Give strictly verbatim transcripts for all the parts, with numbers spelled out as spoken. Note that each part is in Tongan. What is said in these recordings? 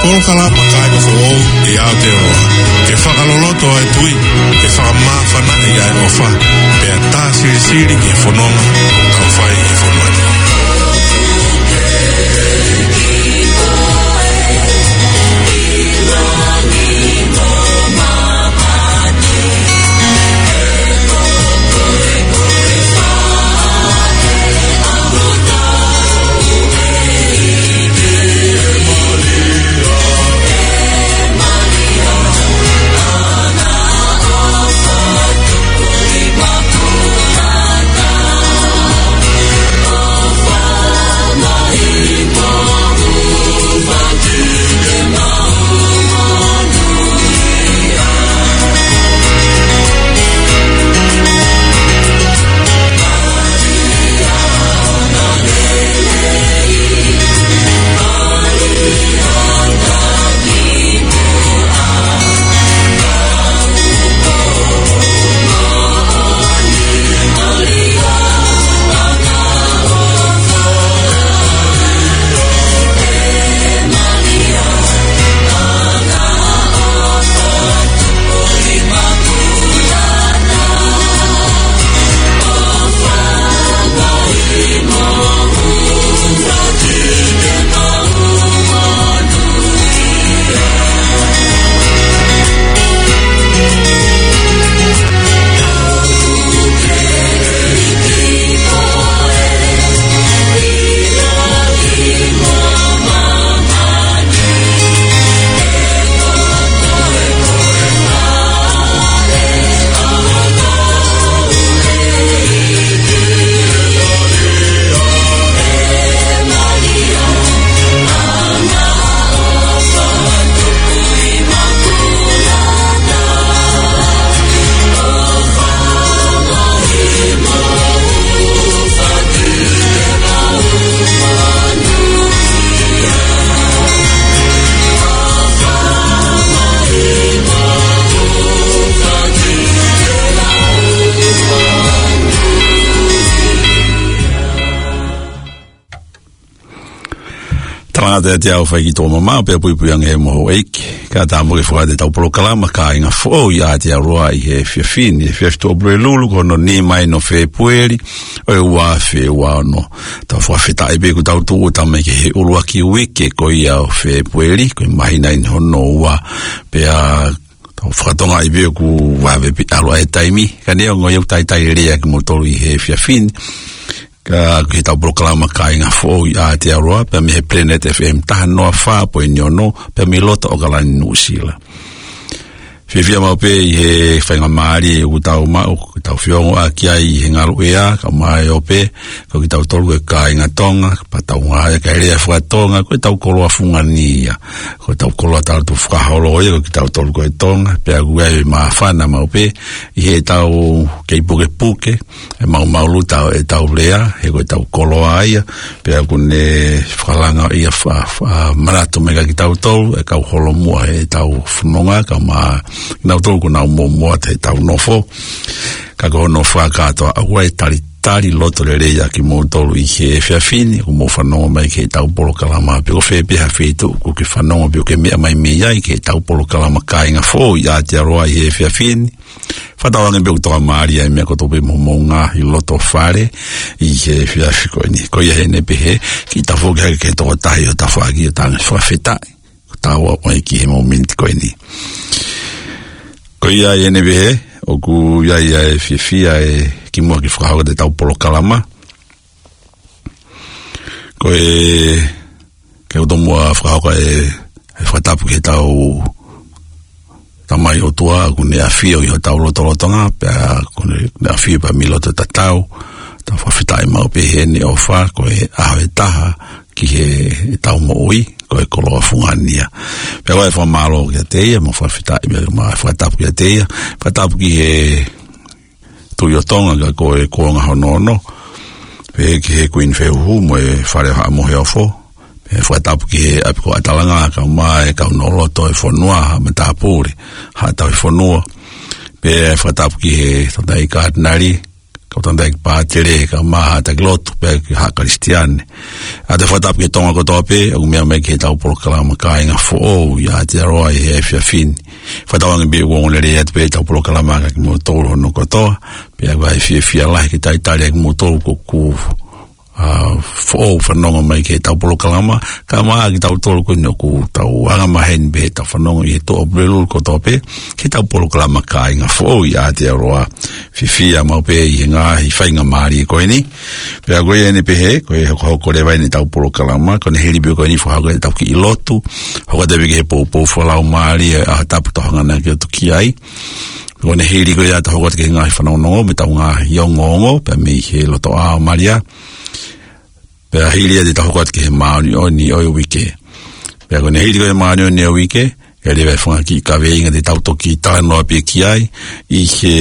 Polokalama Kāinga Foʻou ʻi Aotearoa. Ke fakaloloto ʻa e tui, ke fakamāfanaʻi ʻa e ʻofa, pea tā silisili ki he fononga ʻoku tau fai ʻi he fonua ni. Talangata ʻiate au Faikitoʻo Mamao, pea puipuiange mo houʻeiki. Kae ʻatā mo ke fakataha ʻetau polokalama Kāinga Foʻou ʻi Aotearoa ʻi he efiafi ni, efiafi Tuʻapulelulu, ko hono nima eni ʻo Fēpueli, ʻo e ua afe ua ono. Tau fakafetaʻi pē kuo tau tuʻu ʻo tau mai ki he ʻuluaki uike ko ia ʻo Fēpueli, ko e māhina eni hono ua, pea tau fakatokangaʻi pē ʻoku vave pē ʻalu ʻa e taimi, ka neongo ia ʻoku talitali lelei ʻa kimoutolu ʻi he efiafi ni. Ka ko ʻetau polokalama Kāinga Foʻou ʻi Aotearoa, pea mei he Planet F M taha noa fā poini ono, pea mei loto ʻAokalani, Nuʻusila. Fiefia maʻu pē ʻi he faingamālie ʻoku tau maʻu, ʻoku tau feongoʻaki ai ʻi he ngaluʻea, kae ʻumaʻā ʻo pē, ko kitautolu ko e kāinga Tonga, pea tau ngāueʻaki e lea faka-Tonga, ko ʻetau koloa fungani ia. Ko ʻetau koloa talu tu fakaholo ia, ko kitautolu ko e Tonga, pea ʻoku ʻi ai e māfana maʻu pē, ʻi heʻetau kei pukepuke, ʻe maumau luta ʻetau lea, he ko ʻetau koloa ia, pea ʻoku ne fakalanga ia fa-, fa-, manatu mai kia kitautolu, e kau holomua heʻetau fononga, kae ʻumaʻā kinautolu ʻoku nau muʻomuʻa ʻi heʻetau nofo. Ka ko hono fakakātoa, ʻoku ʻi ai e talitali loto lelei ʻa kimoutolu ʻi he efiafi ni, ʻoku mou fanongo mai ki heʻetau polokalama, pe ko fē pē ha feituʻu ʻoku ke fanongo pe ʻoku ke meʻa mai mei ai ki heʻetau polokalama Kāinga Foʻou ʻi Aotearoa ʻi he efiafi ni. Fakatauange pē ʻoku tokamālie ʻa e meʻa kotoa pē mo hoʻomou ngaahi loto fale ʻi he efiafi ko eni. Ko ia heni pē he kiʻi tafoki hake ki he tokotaha ʻo e tafaʻaki ʻo tau fakafetaʻi. Ko ʻetau ʻalu mai ki he mōmeniti ko eni. Ko ia heni pē he, ʻoku ʻi ai ʻa e fiefia ʻe kimuʻa ke fakahoko atu ʻetau polokalama. Ko e, ke u tomuʻa fakahoko e, e fakatapu ki heʻetau Tamai ʻOtua, ʻoku ne ʻafio ʻi hotau lotolotonga, pea ʻoku ne, ne ʻafio pē mei loto tatau, tau fakafetaʻi maʻu pē heni ʻofa, ko e ʻaho ʻe taha ki heʻetau moʻui, ko e koloa fungani ia. Pea ʻoku ou fakamālō kiate ia, mo fakafetaʻi, mo fakatapu kiate ia, fakatapu ki he Tuʻi ʻo Tonga ka ko e kuonga hono ono. Pehē ki he Kuini Fehuhu mo e Fale ʻo Haʻa Moheofo. Pea fakatapu ki he ʻapi ko ʻAtalanga kae ʻumaʻā e kau ʻofa loto ʻo e fonua, Haʻa Matāpule, Haʻa Tauhi Fonua. Pea fakatapu ki he Toketā Katinali, ʻo tangataʻeiki pātele, kae ʻumaʻā haʻa taki lotu pea ki he haʻa Kalisitiane. ʻOatu e fakatapu ki he Tonga kotoa pē ʻoku meʻa mai ki heʻetau polokalama Kāinga Foʻou ʻi Aotearoa ʻi he efiafi ni. Fakatauange pē ʻoku ongoongolelei atu pē ʻetau polokalama kiate kimoutolu hono kotoa, pea ʻoku ʻi ai e fiefia lahi ke talitali ʻa kimoutolu ʻoku, ʻa, foʻou fanongo mai ki heʻetau polokalama, kae ʻumaʻā kitautolu ko eni ʻoku tau anga maheni pē heʻetau fanongo ʻi he tuʻa ʻo Pulelulu kotoa pē ki heʻetau polokalama Kāinga Foʻou ʻi Aotearoa. Fiefia maʻu pē ʻi he ngaahi faingamālie ko eni. Pea ko ia eni pē he, ko e hokohoko leva eni ʻetau polokalama, ko hono hili pē ko eni fakahoko ʻetau kiʻi lotu, hoko atu pē ki he poupou fakalaumālie ʻa e ʻaho tapu ʻoku tau hanga ʻaki ʻo tuku ki ai. Ko hono hili ko ia te tau hoko atu ki he ngaahi fanongonongo mei heʻetau ngaahi ongoongo, pea mei he lotoʻā ʻo Malia. Pea hili ia te tau hoko atu ki he māʻoniʻoni ʻo e uike. Pea ko hono hili ko ia e māʻoniʻoni ʻo e uike, ʻe lava e fanga kiʻi kaveinga te tau toki talanoa pē ki ai ʻi he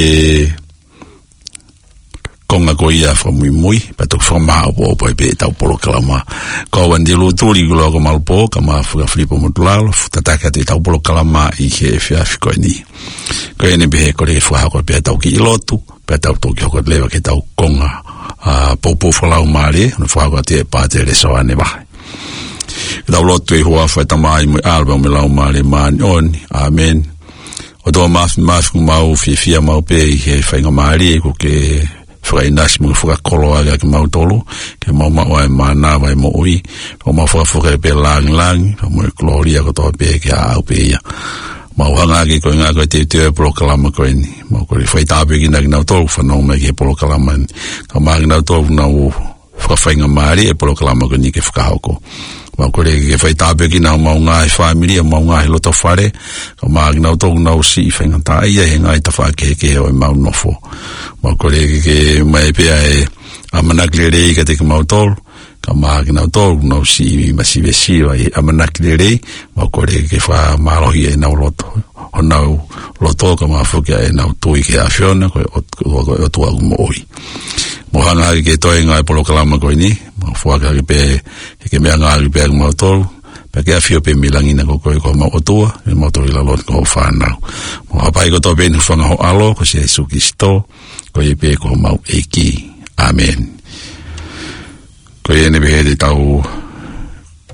konga ko ia fakamuimui, pea toki fakamāʻopoʻopo ai pē ʻetau polokalama. Ko au Andy Lutuli Kuloa ko Malupō, kae ʻumaʻā Fuka Filipo Motulalo, ʻoku tataki atu ʻetau polokalama ʻi he efiafi ko eni. Ko ia eni pē he kole ke fakahoko pē ʻetau kiʻi lotu, pea tau toki hoko leva ki heʻetau konga, ʻa, poupou fakalaumālie, ʻo fakahoko atu ʻe Pātele Soane Vahe. Ke tau lotu. ʻI he huafa ʻo e Tamai mo e ʻAlo pea mo e Laumālie Māʻoniʻoni. ʻĀmeni. ʻOtua Māfimafi, ʻoku mau fiefia maʻu pē ʻi he faingamālie ʻoku ke fakaʻinasi mo fakakoloa ʻaki kimautolu, ke mau maʻu ʻa e mānava ʻo e moʻui, ʻo mau fakafoki pē e lāngilangi pea mo e kolōlia kotoa pē ke ʻaʻau pē ia. Mau hanga ʻaki ko e ngaahi ko e teuteu ʻo e polokalama ko eni. Mau kole ke fai tāpuekina kinautolu ʻoku fanongo mai ki he polokalama ni, kae ʻumaʻā kinautolu ʻoku nau fakafaingamālie e polokalama ko eni ke fakahoko. Mau kole ke fai tāpuekina homau ngaahi fāmili, homau ngaahi loto fale, kae ʻumaʻā kinautolu ʻoku nau siʻi faingataʻaʻia ʻi he ngaahi tafaʻaki kehekehe ʻo ʻemau nofo. Mau kole ke ʻomai pē ʻa e ʻamanaki lelei kiate kimautolu, kae ʻumaʻā kinautolu ʻoku nau siʻi masivesiva ʻi he ʻamanaki lelei, mau kole ke fakamālohia ʻenau loto, honau loto kae ʻumaʻā foki ʻenau tui ki he ʻAfiona, ko e ʻOt-, ko e ʻOtua ʻoku moʻui. Mau hanga ʻaki e toenga ʻo e polokalama ko eni, mau foaki ʻaki pē, ke ke meʻangāueʻaki pē ʻa kimautolu, pea ke ʻafio pē mei langi na ko koe ko homau ʻOtua, ʻi heʻemau tō ʻi lalo ni ko hoʻo fānau. Mau hapai kotoa pē ʻi he huafa ʻo ho ʻAlo, ko Sīsū Kalaisi, ko ia pē ko homau ʻEiki. ʻĀmeni. Ko ia eni pē he te tau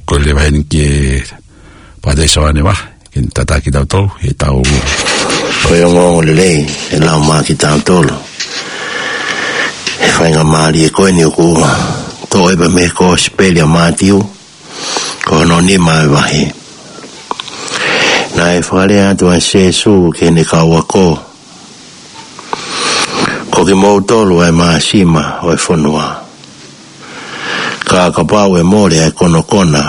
kole leva heni ki he Pātele Soane Vahe ke ne tataki kitautolu heʻetau. Ko e ongoongolelei ʻe lau maʻa kitautolu ʻi he faingamālie ko eni ʻoku toʻo pē mei he Kosipeli ʻa Mātiu, ko hono nima ʻo e vahe. Naʻe fakalea atu ʻa Sīsū ki heʻene kau ako, Ko kimoutolu ʻa e māsima ʻo e fonua. Ka kapau ʻe mole ʻa e konokona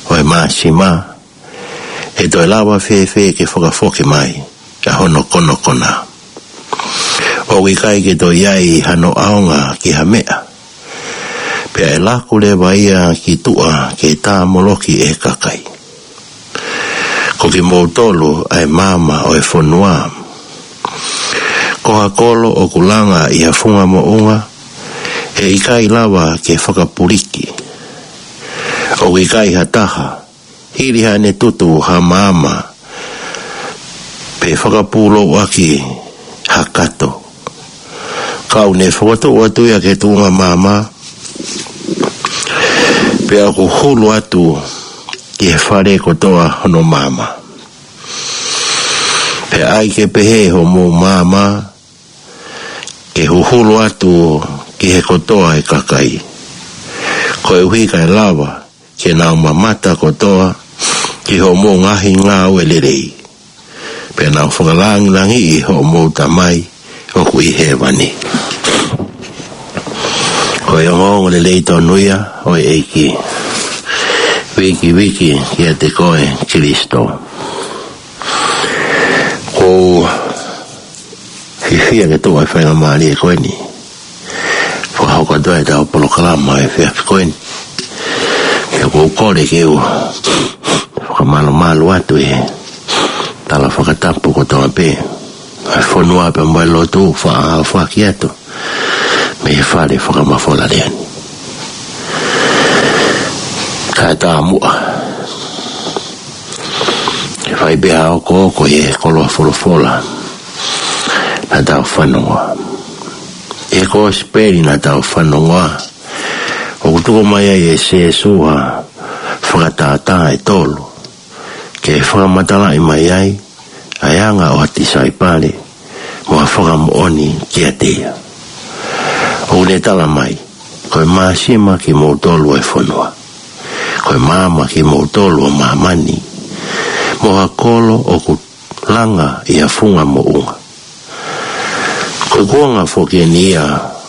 ʻo e māsima, ʻe toe lava fēfē ke fakafoki mai ʻa hono konokona? ʻOku ʻikai ke toe ʻi ai hano ʻaonga ki ha meʻa, pea ʻe laku leva ia ki tuʻa ke tāmoloki ʻe he kakai. Ko kimoutolu ʻa e maama ʻo e fonua. Ko ha kolo ʻoku langa ʻi ha funga moʻunga, ʻe ʻikai lava ke fakapuliki. ʻOku ʻikai ha taha, hili haʻane tutu ha maama, pe fakapūlouʻaki ha kato. Ka ʻoku ne fokotuʻu atu ia ki he tuʻunga maama, pea ʻoku huhulu atu ki he fale kotoa hono maama. Pea ʻai ke pehē hoʻomou maama, ke huhulu atu ki he kotoa ʻo e kakai. Koeʻuhi kae lava ke nau mamata kotoa ki hoʻomou ngaahi ngāue lelei, pea nau fakalangilangiʻi hoʻomou Tamai ʻoku ʻi hēvani. Ko e ongoongolelei tonu ia ʻo e ʻEiki. Viki, viki kiate koe Kalaisi. ʻOku ou fiefia ke tuʻu ʻa e faingamālie ko eni. Fakahoko atu ai ʻetau polokalama ʻi he efiafi ko eni. Pea ʻoku ou kole ke u fakamalumalu atu ʻi he tala fakatapu kotoa pē ʻa e fonua pea mo e lotu, faʻa fakahoko atu mei he fale fakamafola lea ni. Kae taumuʻa, ke fai pē ha okooko ʻi he koloa folofola naʻa tau fanongoa. ʻI he kosipeli naʻa tau fanongoa, ʻoku tuku mai ai ʻe Sēsū ha fakatātā ʻe tolu ke fakamatalaʻi mai ai ʻa e anga ʻo ha tisaipale mo ha fakamoʻoni kiate ia. ʻOku ne tala mai, ko e māsima kimoutolu ʻo e fonua, ko e maama kimoutolu ʻo māmani, mo ha kolo ʻoku langa ʻi ha funga moʻunga. Ko e kuonga foki eni ia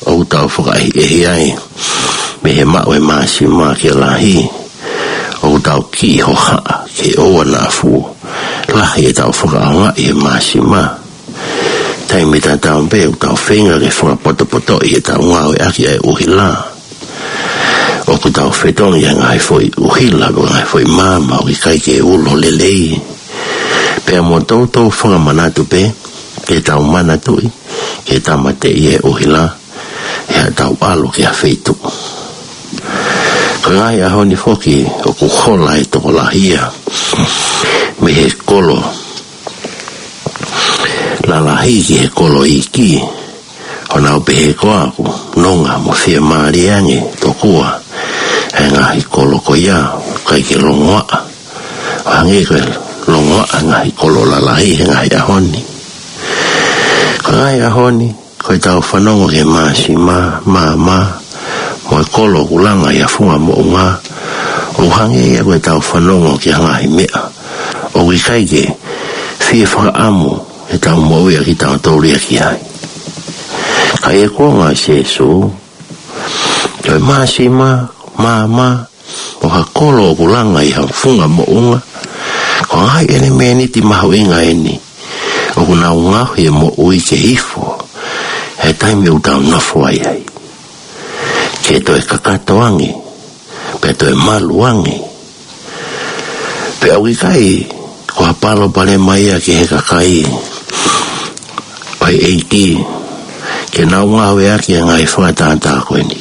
ʻoku tau fakaʻehiʻehi ai mei he maʻu e māsima ke lahi, ʻoku tau kiʻi hohaʻa ke ʻoua naʻa fuʻu lahi ʻetau fakaʻaongaʻi e māsima. Taimi tatau pē ʻoku tau feinga ke fakapotopotoʻi ʻetau ngāueʻaki ʻa e ʻuhila. ʻOku tau fetongi ʻa e ngaahi foʻi ʻuhila, ko e ngaahi foʻi maama ʻoku ʻikai ke ulo lelei. Pea mo toutou fakamanatu pē ke tau manatuʻi ke tāmateʻi e ʻuhila ʻi haʻatau ʻalu ki ha feituʻu. Ko e ngaahi ʻaho ni foki ʻoku hola e tokolahi ia mei he kolo lalahi ki he kolo iiki, ʻo nau pehē ko ʻeku nonga mo fiemālie ange tokua ʻa e ngaahi kolo ko ia ʻoku ʻikai ke longoaʻa, ʻo hangē ko e longoaʻa e ngaahi kolo lalahi he ngaahi ʻaho ni. Ko e ngaahi ʻaho ni, ko ʻetau fanongo ki he māsima, maama, mo e kolo ʻoku langa ʻi ha funga moʻunga, ʻoku hangē ia ko ʻetau fanongo ki ha ngaahi meʻa ʻoku ʻikai ke fie fakaʻamu ʻetau moʻui ʻa kitautolu ia ki ai. Ka ʻi he kuonga ʻo Sēsū, ko e māsima, maama, mo ha kolo ʻoku langa ʻi ha funga moʻunga, ko e ngaahi ʻelemēniti mahuʻinga eni ʻoku nau ngaohi e moʻui ke ifo he taimi ʻoku tau nofo ai ai, ke toe kakato ange, pea toe malu ange. Pea ʻoku ʻikai ko ha palopalema ia ki he kakai ʻo e ʻEiki ke nau ngāueʻaki e ngaahi fakatātā ko eni.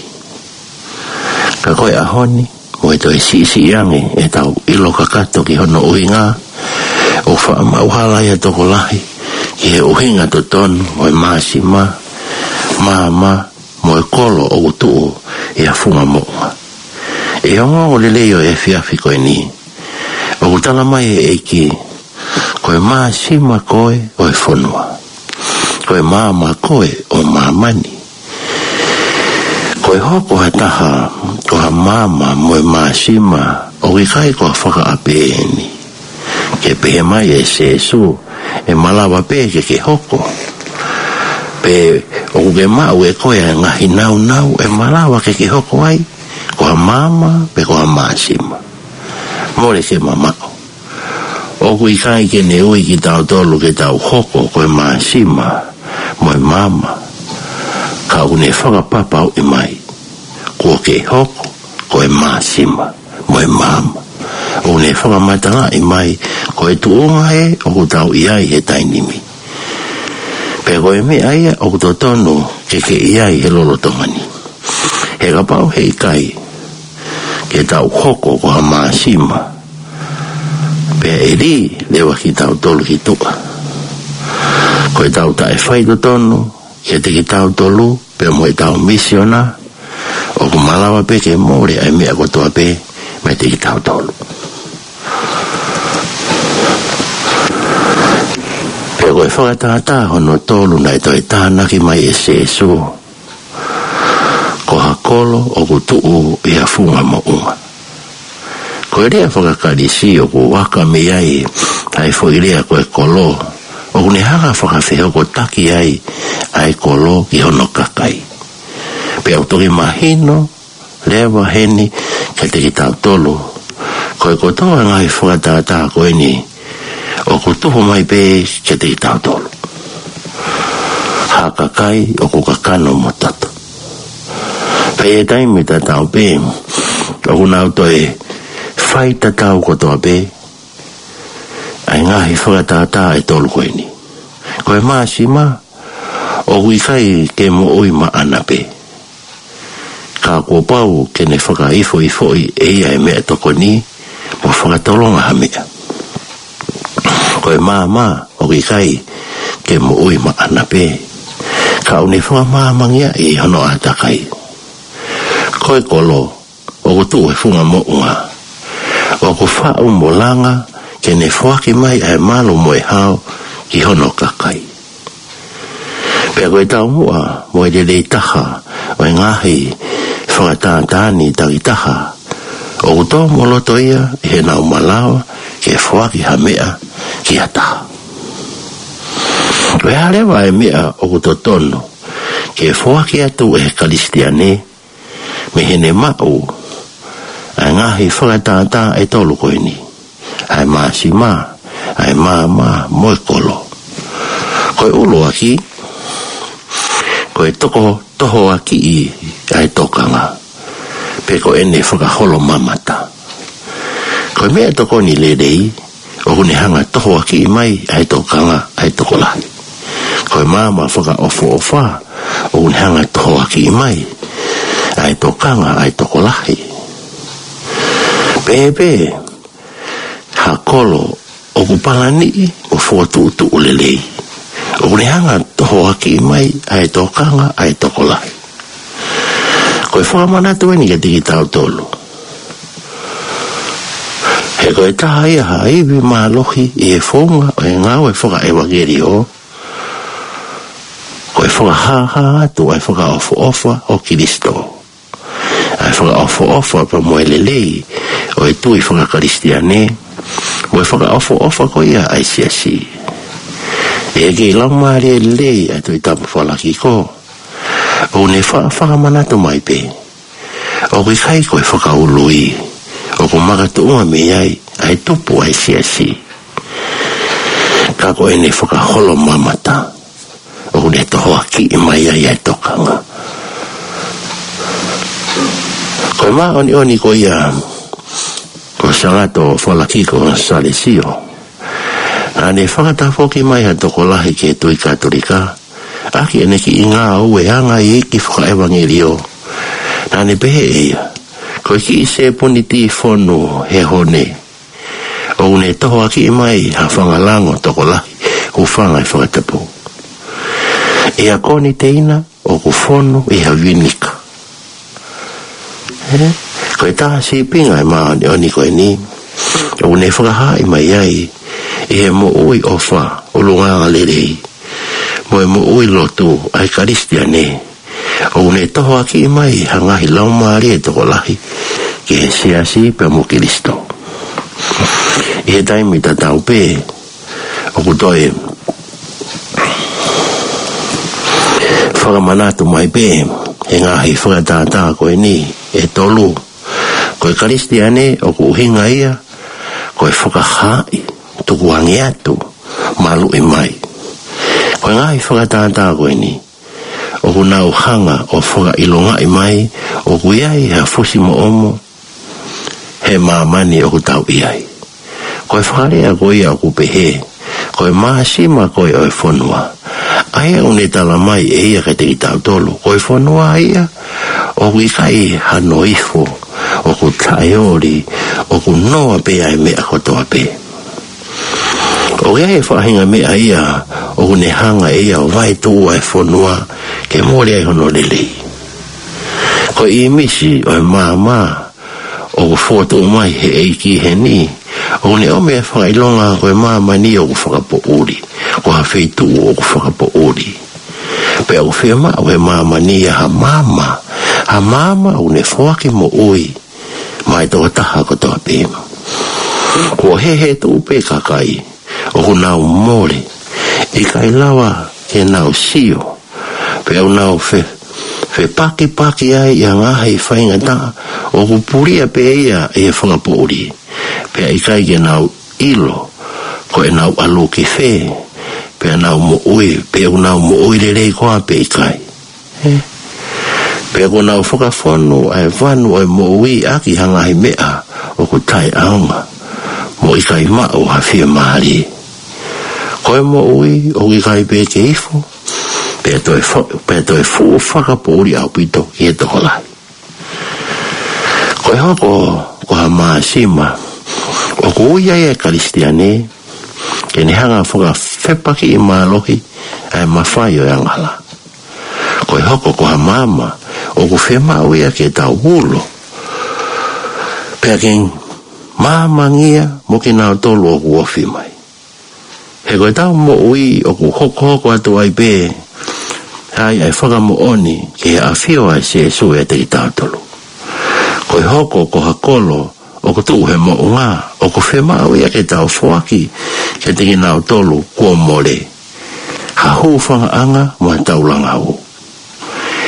Ka ko e ʻaho ni, mo e toe siʻisiʻi ange ʻetau ʻilo kakato ki hono ʻuhinga, ʻoku faʻa maʻu hala ia tokolahi ki he ʻuhinga totonu ʻo e māsima, maama, mo e kolo ʻoku tuʻu ʻi ha funga moʻunga. ʻI he ongoongo lelei ʻo e efiafi ko eni, ʻoku tala mai ʻe he ʻEiki, ko e māsima koe ʻo e fonua, ko e maama koe ʻo māmani. Ko e hoko ha taha ko ha maama mo e māsima, ʻoku ʻikai ko ha fakaʻape eni. Ke pehē mai ʻe Sēsū, ʻe malava pē ke ke hoko. Pe ʻoku ke maʻu ʻe koe ʻa e ngaahi nāunau ʻe malava ke ke hoko ai, ko ha maama pe ko ha māsima. Mole ke mamaʻo. ʻOku ʻikai ke ne ui kitautolu ke tau hoko ko e māsima mo e maama, ka ʻoku ne fakapapauʻi mai kuo ke hoko ko e māsima mo e maama. ʻOku ne fakamatalaʻi mai ko e tuʻunga ē ʻoku tau ʻi ai he taimi ni, pea ko e meʻa ia ʻoku totonu ke ke ʻi ai he lolotonga ni. He kapau he ʻikai ke tau hoko ko ha māsima, pea ʻe lī leva kitautolu ki tuʻa. Ko ʻetau taʻefaitotonu kiate kitautolu pea mo ʻetau misiona, ʻoku malava pē ke mole ʻa e meʻa kotoa pē meiate kitautolu. Pea ko e fakatātā hono tolu naʻe toe tānaki mai ʻe Sēsū, ko ha kolo ʻoku tuʻu ʻi ha funga moʻunga. Ko e lea faka-Kalisi ʻoku aka mei ai ʻa e foʻi lea ko e kolo, ʻoku ne hanga fakafehokotaki ai ʻa e kolo ki hono kakai. Pea ʻoku toki mahino leva heni kiate kitautolu, ko e kotoa e ngaahi fakatātā ko eni ʻoku tuhu mai pē kiate kitautolu. Ha kakai ʻoku kakano mo toto. Pea ʻi he taimi tatau pē, ʻoku nau toe faitatau kotoa pē ʻa e ngaahi fakatātā ʻe tolu ko eni. Ko e māsima, ʻoku ʻikai ke moʻui maʻana pē, ka kuo pau ke ne fakaifoifoʻi ʻe ia e meʻatokoni mo fakatolonga ha meʻa. Ko e maama, ʻoku ʻikai ke moʻui maʻana pē, ka ʻoku ne fakamāmangia ʻi hono ʻātakai. Ko e kolo, ʻoku tuʻu he funga moʻunga, ʻoku faʻu mo langa ke ne foaki mai ʻa e malu mo e hao ki hono kakai. Pea ko e taumuʻa mo e lelei taha ʻo e ngaahi fakatātā ni takitaha, ʻoku tō mo loto ia ʻi heʻenau malava ke foaki ha meʻa ki ha taha. Ko e hā leva e meʻa ʻoku totonu ke foaki atu ʻe he Kalisitiane mei heʻene maʻu ʻa e ngaahi fakatātā ʻe tolu ko eni, ʻa e māsima, ʻa e maama, mo e kolo? Ko e ʻuluaki, ko e toko tohoakiʻi ʻa e tokanga, pe ko ʻene fakaholomamata. Ko e meʻatokoni lelei, ʻoku ne hanga tohoakiʻi mai ʻa e tokanga ʻa e tokolahi. Ko e maama fakaʻofoʻofa, ʻoku ne hanga tohoakiʻi mai ʻa e tokanga ʻa e tokolahi. Pehē pē ha kolo ʻoku palaniʻi mo fokotuʻutuʻu lelei, ʻoku ne hanga tohoakiʻi mai ʻa e tokanga ʻa e tokolahi. Ko e fakamanatu eni kiate kitautolu. He ko e taha ia ha ivi mālohi ʻi he founga ʻo e ngāue fakaʻevangeliō, ko e fakahāhā atu ʻa e fakaʻofoʻofa ʻo Kilisitō, ʻa e fakaʻofoʻofa pea mo e lelei ʻo e tui fakakalisitiane, mo e fakaʻofoʻofa ko ia ʻa e siasi. ʻI he kei laumālie lelei ʻa e Tohi Tapu Falakiko, ʻoku ne fa-, fakamanatu mai pē, ʻoku ʻikai ko e fakaului ʻoku makatuʻunga mei ai ʻa e tupu ʻa e siasi, ka ko ʻene fakaholomamata ʻoku ne tohoakiʻi mai ai ʻa e tokanga. Ko e māʻoniʻoni ko ia ko Sagato Falakiko Salesio, naʻa ne fakatafoki mai ha tokolahi ki he tui Katolika ʻaki ʻene kiʻi ngāue anga iiki fakaʻevangeliō. Naʻa ne pehē ʻe ia, ko e kiʻi sēpuni tīfonu he hone, ʻoku ne tohoakiʻi mai ha fanga lango tokolahi, hūfanga he fakatapu, ʻi ha koniteina ʻoku fonu ʻi ha vinika. Ē, ko e taha sīpinga ʻo e māʻoniʻoni ko eni, ʻoku ne fakahaaʻi mai ai ʻi he moʻui ʻofa, ʻulungaanga lelei, mo e moʻui lotu ʻa e Kalisitiane, ʻoku ne tohoakiʻi mai ha ngaahi laumālie tokolahi ki he siasi pea mo Kilisitō. ʻI he taimi tatau pē, ʻoku toe fakamanatu mai pē ʻe he ngaahi fakatātā ko eni ʻe tolu, ko e Kalisitiane ʻoku ʻuhinga ia ko e fakahaaʻi, tukuange atu, maluʻi mai. Ko e ngaahi fakatātā ko eni ʻoku nau hanga ʻo fakaʻilongaʻi mai ʻoku ʻi ai ha fusi moʻomo he māmani ʻoku tau ʻi ai. Ko e fakalea ko ia ʻoku pehē, ko e māsima ko ē ʻo e fonua, ʻa ia ʻoku ne talamai ʻe ia kiate kitautolu, ko e fonua ia ʻoku ʻikai hano ifo, ʻoku taʻeoli, ʻoku noa pē ʻa e meʻa kotoa pē. ʻOku ʻi ai e faʻahinga meʻa ia ʻoku ne hanga ʻe ia ʻo vaetuʻu ʻa e fonua ke mole ai hono lelei. Ko e ʻīmisi ʻo e maama ʻoku fokotuʻu mai ʻe he ʻEiki heni, ʻoku ne ʻomi e fakaʻilonga ko e māmani ʻoku fakapoʻuli, ko ha feituʻu ʻoku fakapoʻuli. Pea ʻoku fiemaʻu ʻe he māmani ia ha maama, ha maama ʻoku ne foaki moʻui maʻa e tokotaha kotoa pē. Kuo hehetuʻu pē kakai ʻoku nau mole, ʻikai lava ke nau sio, pea ʻoku nau fe-, fepakipaki ai ʻi ha ngaahi faingataʻa ʻoku pulia pē ia ʻe he fakapoʻuli, pea ʻikai ke nau ʻilo ko ʻenau ʻalu ki fē, pea nau moʻui, pe ʻoku nau moʻui lelei koā pe ʻikai. Ē? Pea kuo nau fakafonu ʻa e vanu ʻo e moʻui ʻaki ha ngaahi meʻa ʻoku taʻeʻaonga, mo ʻikai maʻu ha fiemālie. Ko e moʻui ʻoku ʻikai pē ke ifo, pea toe fo-, pea toe fuʻu fakapoʻuli ʻaupito ki he tokolahi. Ko e hoko ko ha māsima ʻoku ui ai e Kalisitiane ke ne hanga fakafepakiʻi mālohi ʻa e mafai ʻo e angahala. hoko ko ha maama ʻoku fiemaʻu ia ke tau ulo, pea ke maamangia mo kinautolu ʻoku ofi mai. He ko ʻetau moʻui ʻoku hokohoko atu ai pē ai ʻa e fakamoʻoni ki he ʻafio ʻa Sīsū ʻiate kitautolu. Ko e hoko ko ha kolo ʻoku tuʻu he moʻunga, ʻoku fiemaʻu ia ke tau foaki kiate kinautolu kuo mole ha hūfangaʻanga mo ha taulanga ʻo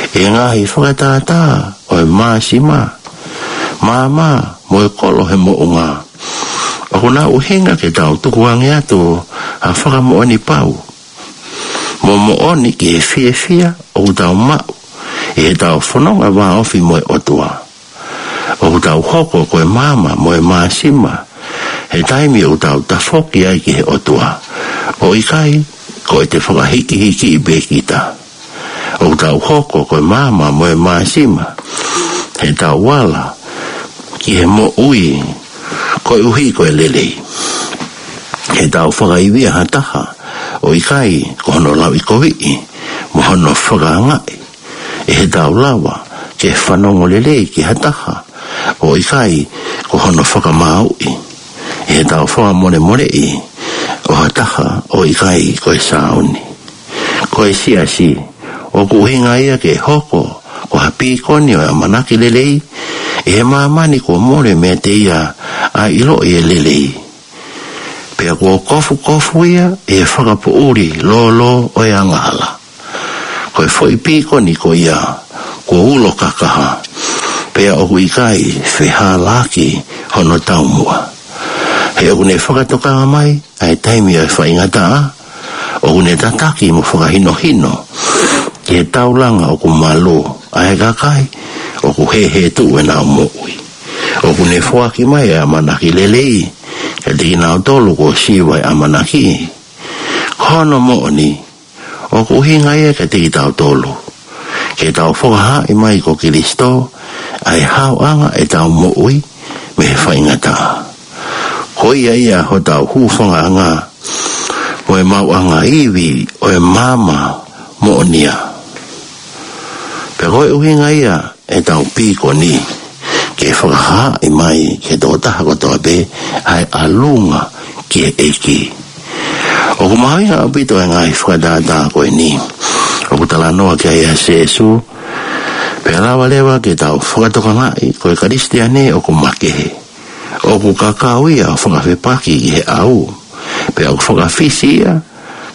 e ngaahi fakatātā ʻo e māsima, maama mo e kolo he moʻunga. ʻOku na ʻuhinga ke tau tukuange atu ha fakamoʻoni pau mo moʻoni ki he fiefia ʻoku tau maʻu ʻi heʻetau fononga vāofi mo e ʻOtua. ʻOku tau hoko ko e maama mo e māsima he taimi ʻoku tau tafoki ai ki he ʻOtua, ʻo ʻikai ko ʻete fakahikihiki pē kita. ʻOku tau hoko ko e maama mo e māsima heʻetau ala ki he moʻui koeʻuhi ko e lelei. Heʻetau fakaivia ha taha, ʻo ʻikai ko hono lauʻikoviʻi mo hono fakaangaʻi. ʻE heʻetau lava ke fanongo lelei ki ha taha, ʻo ʻikai ko hono fakamāuʻi. ʻE heʻetau fakamolemoleʻi ʻo ha taha, ʻo ʻikai ko e sāuni. Ko e siasi, ʻoku ʻuhinga ia ke hoko ko ha pīkoni ʻo e ʻamanaki lelei ʻi he māmani kuo mole meiate ia ʻa e ʻiloʻi e lelei, pea kuo kofukofu ia ʻi he fakapoʻuli lōlō ʻo e angahala. Ko e foʻi pīkoni ko ia kuo ulo kakaha, pea ʻoku ʻikai fehālaaki hono taumuʻa. He ʻoku ne fakatokanga mai ʻa e taimi ʻo e faingataʻa, ʻoku ne tataki mo fakahinohino ki he taulanga ʻoku malū ʻa e kakai ʻoku hēhētuʻu ʻenau moʻui. ʻOku ne foaki mai ʻa e ʻamanaki lelei kiate kinautolu kuo siva e ʻamanaki. Ko hono moʻoni, ʻoku ʻuhinga ia kiate kitautolu ke tau fakahaaʻi mai ko Kalaisi ʻa e haoʻanga ʻetau moʻui mei he faingataʻa. Ko ia ia hotau hūfangaʻanga mo e maʻuʻanga ivi ʻo e maama moʻonia. Pea ko e ʻuhinga ia ʻetau pīkoni ke fakahaaʻi mai ki he tokotaha kotoa pē ʻa e ʻalunga ki he ʻEiki. ʻOku mahuʻinga ʻaupito e ngaahi fakatātā ko eni ʻoku talanoa ki ai ʻa Sīsū, pea lava leva ke tau fakatokangaʻi ko e Kalisitiane ʻoku makehe, ʻoku kakau ia ʻo fakafepaki ki he ʻau, pea ʻoku fakafisi ia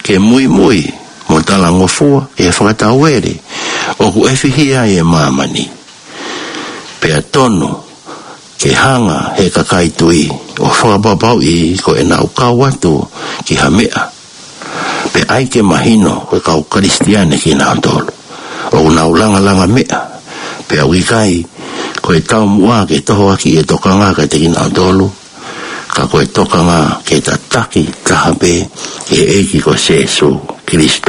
ke muimui mo talangofua ki he fakatauele ʻoku ʻefihia ai e māmani. Pea tonu ke hanga he kakai tui ʻo fakapapauʻi ko ʻenau kau atu ki ha meʻa, pea ʻai ke mahino ko e kau Kalisitiane kinautolu ʻoku nau langalanga meʻa, pea ʻoku ʻikai ko e taumuʻa ke tohoakiʻi e tokanga kiate kinautolu, ka ko e tokanga ke tataki taha pē ki he ʻEiki ko Sīsū Kalaisi.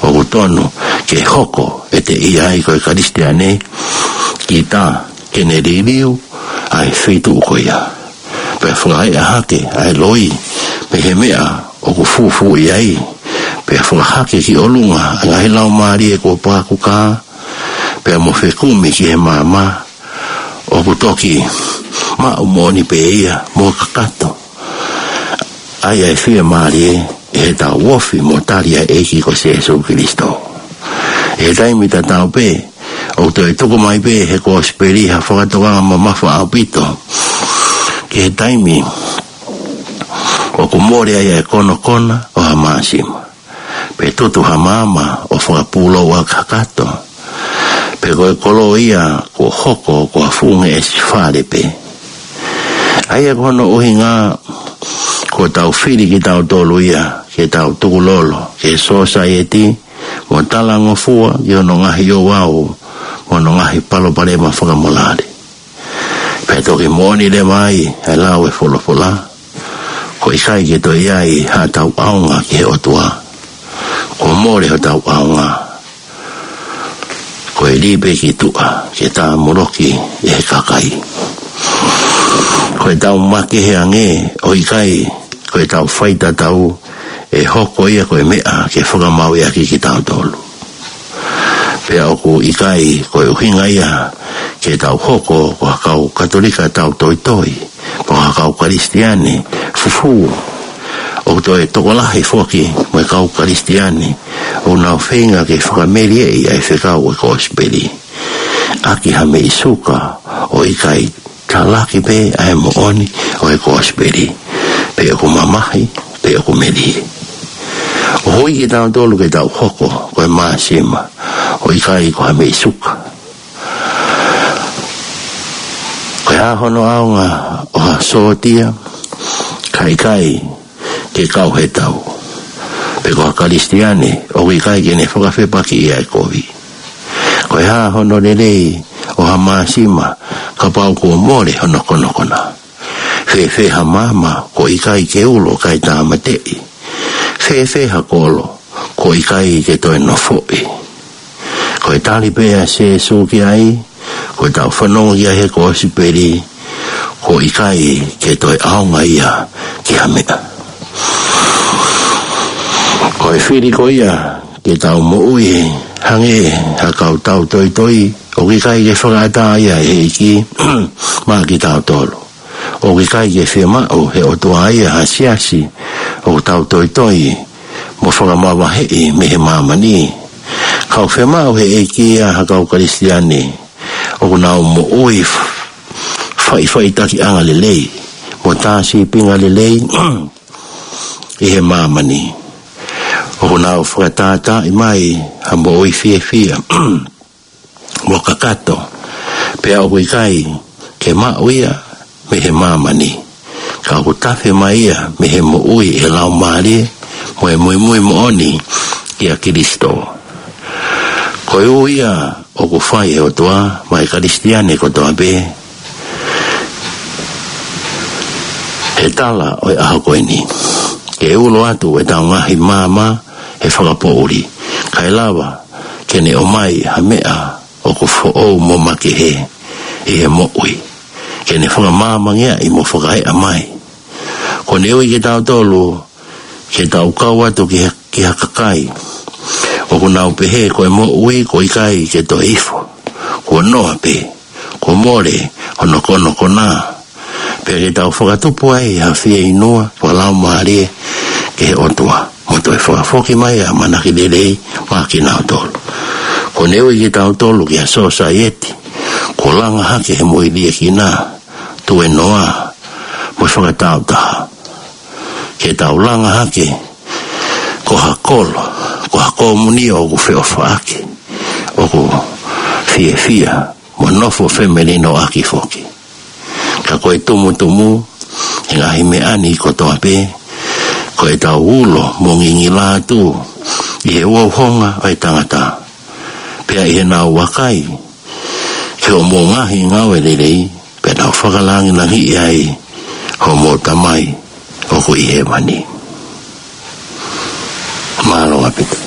ʻOku tonu ke hoko ʻete ʻi ai ko e Kalisitiane kita ke ne liliu ʻa e feituʻu ko ia, pea fakaeʻa hake ʻa e loi mei he meʻa ʻoku fufū ʻi ai, pea fakahake ki ʻolunga ʻa e ngaahi laumālie kuo pākuka, pea mo fekumi ki he maama ʻoku toki maʻu moʻoni pē ia mo kakato ai ʻa e fiemālie ʻi heʻetau ofi mo tali ʻa e ʻEiki ko Sīsū Kalaisi. ʻI he taimi tatau pē, ʻoku toe tuku mai pē he Kosipeli ha fakatokanga mamafa ʻaupito ki he taimi ʻoku mole ai ʻa e konokona ʻo ha māsima, pe tutu ha maama ʻo fakapūlou ʻa kakato, pe ko e kolo ia kuo hoko ko ha fuʻu ngeʻesi fale pē. ʻA ia ko hono ʻuhinga kuo tau fili kitautolu ia ke tau tukulolo ki he sōsaieti mo talangofua ki hono ngaahi ouau mo hono ngaahi palopalema fakamolale. Pea toki moʻoni leva ai ʻa e lau e folofola, ko e ʻikai ke toe ʻi ai haʻatau ʻaonga ki he ʻOtua. Kuo mole hotau ʻaonga, ko e lī pē ki tuʻa ke tāmoloki ʻe he kakai. Ko ʻetau makehe ange, ʻo ʻikai ko ʻetau faitatau, ʻe hoko ia ko e meʻa ke fakamāuʻi ʻaki kitautolu. Pea ʻoku ʻikai ko e ʻuhinga ia ke tau hoko ko ha kau Katolika tautoitoi, pe ko ha kau Kalisitiane fufū. ʻOku toe tokolahi foki mo e kau Kalisitiane ʻoku nau feinga ke fakamelieʻi ʻa e fekau ʻo e kosipeli ʻaki ha meʻi suka ʻo ʻikai talaki pē ʻa e moʻoni ʻo e kosipeli, pe ʻoku mamahi, pe ʻoku melie. ʻOku ui kitautolu ke tau hoko ko e māsima ʻo ʻikai ko ha meʻi suka. Ko e hā hono ʻaonga ʻo ha sōtia, ka ʻikai ke kau he tau, pe ko ha Kalisitiane ʻoku ʻikai ke ne fakafepakiʻi ʻa e kovi? Ko e hā hono lelei ʻo ha māsima kapau kuo mole hono konokona? Fēfē ha maama kuo ʻikai ke ulo kae tāmateʻi? Fēfē ha kolo kuo ʻikai ke toe nofoʻi? Ko e tali pē ʻa Sīsū ki ai, ko ʻetau fanongo ki ai he kosipeli, kuo ʻikai ke toe ʻaonga ia ki ha meʻa. Ko e fili ko ia ke tau moʻui hangē ha kau tautoitoi ʻoku ʻikai ke fakaʻatā ia ʻe he ʻEiki maʻa kitautolu. ʻOku ʻikai ke fiemaʻu ʻe he ʻOtua ia ha siasi ʻoku tautoitoi mo fakamavaheʻi mei he māmani. Ka ʻoku fiemaʻu ʻe he ʻEiki ia ha kau Kalisitiane ʻoku nau moʻui f-, faʻifaʻitakiʻanga lelei mo tā sīpinga lelei ʻi he māmani. ʻOku nau fakatātaaʻi mai ha moʻui fiefia mo kakato, pea ʻoku ʻikai ke maʻu ia mei he māmani, ka ʻoku tafe mai ia mei he moʻui ʻi he Laumālie mo e muimui moʻoni kia Kalaisi. Ko e ui ia ʻoku fai ʻe he ʻOtua maʻa e Kalisitiane kotoa pē he tala ʻo e ʻaho ko eni, ke ulo atu ʻetau ngaahi maama he fakapoʻuli, kae lava ke ne ʻomai ha meʻa ʻoku foʻou mo makehe ʻi he moʻui, ke ne fakamāmangeaʻi mo fakaeʻa mai. Kuo ne ui kitautolu ke tau kau atu ki ha, ki ha kakai ʻoku nau pehē ko e moʻui kuo ʻikai ke toe ifo, kuo noa pē, kuo mole hono konokona. Pea ke tau fakatupu ai ha fieinua fakalaumālie ki he ʻOtua, mo toe fakafoki mai ʻa e ʻamanaki lelei maʻa kinautolu. Kuo ne ui kitautolu ki ha sōsaieti kuo langa hake he moʻui liʻekina, tuēnoa mo fakatāutaha. Ke tau langa hake ko ha kolo, ko ha komunio ʻoku feʻofaʻaki, ʻoku fiefia mo nofo femelinoʻaki foki. Ka ko e tumutumu ʻi he ngaahi meʻa ni kotoa pē, ko ʻetau ulo mo ngingila atu ʻi he uhouhonga ʻo e tangata, pea ʻi heʻenau vakai ki hoʻomou ngaahi ngāue lelei, pea nau fakalāngilangiʻi ai homou Tamai ʻoku ʻi hēvani. Mālō ʻaupito.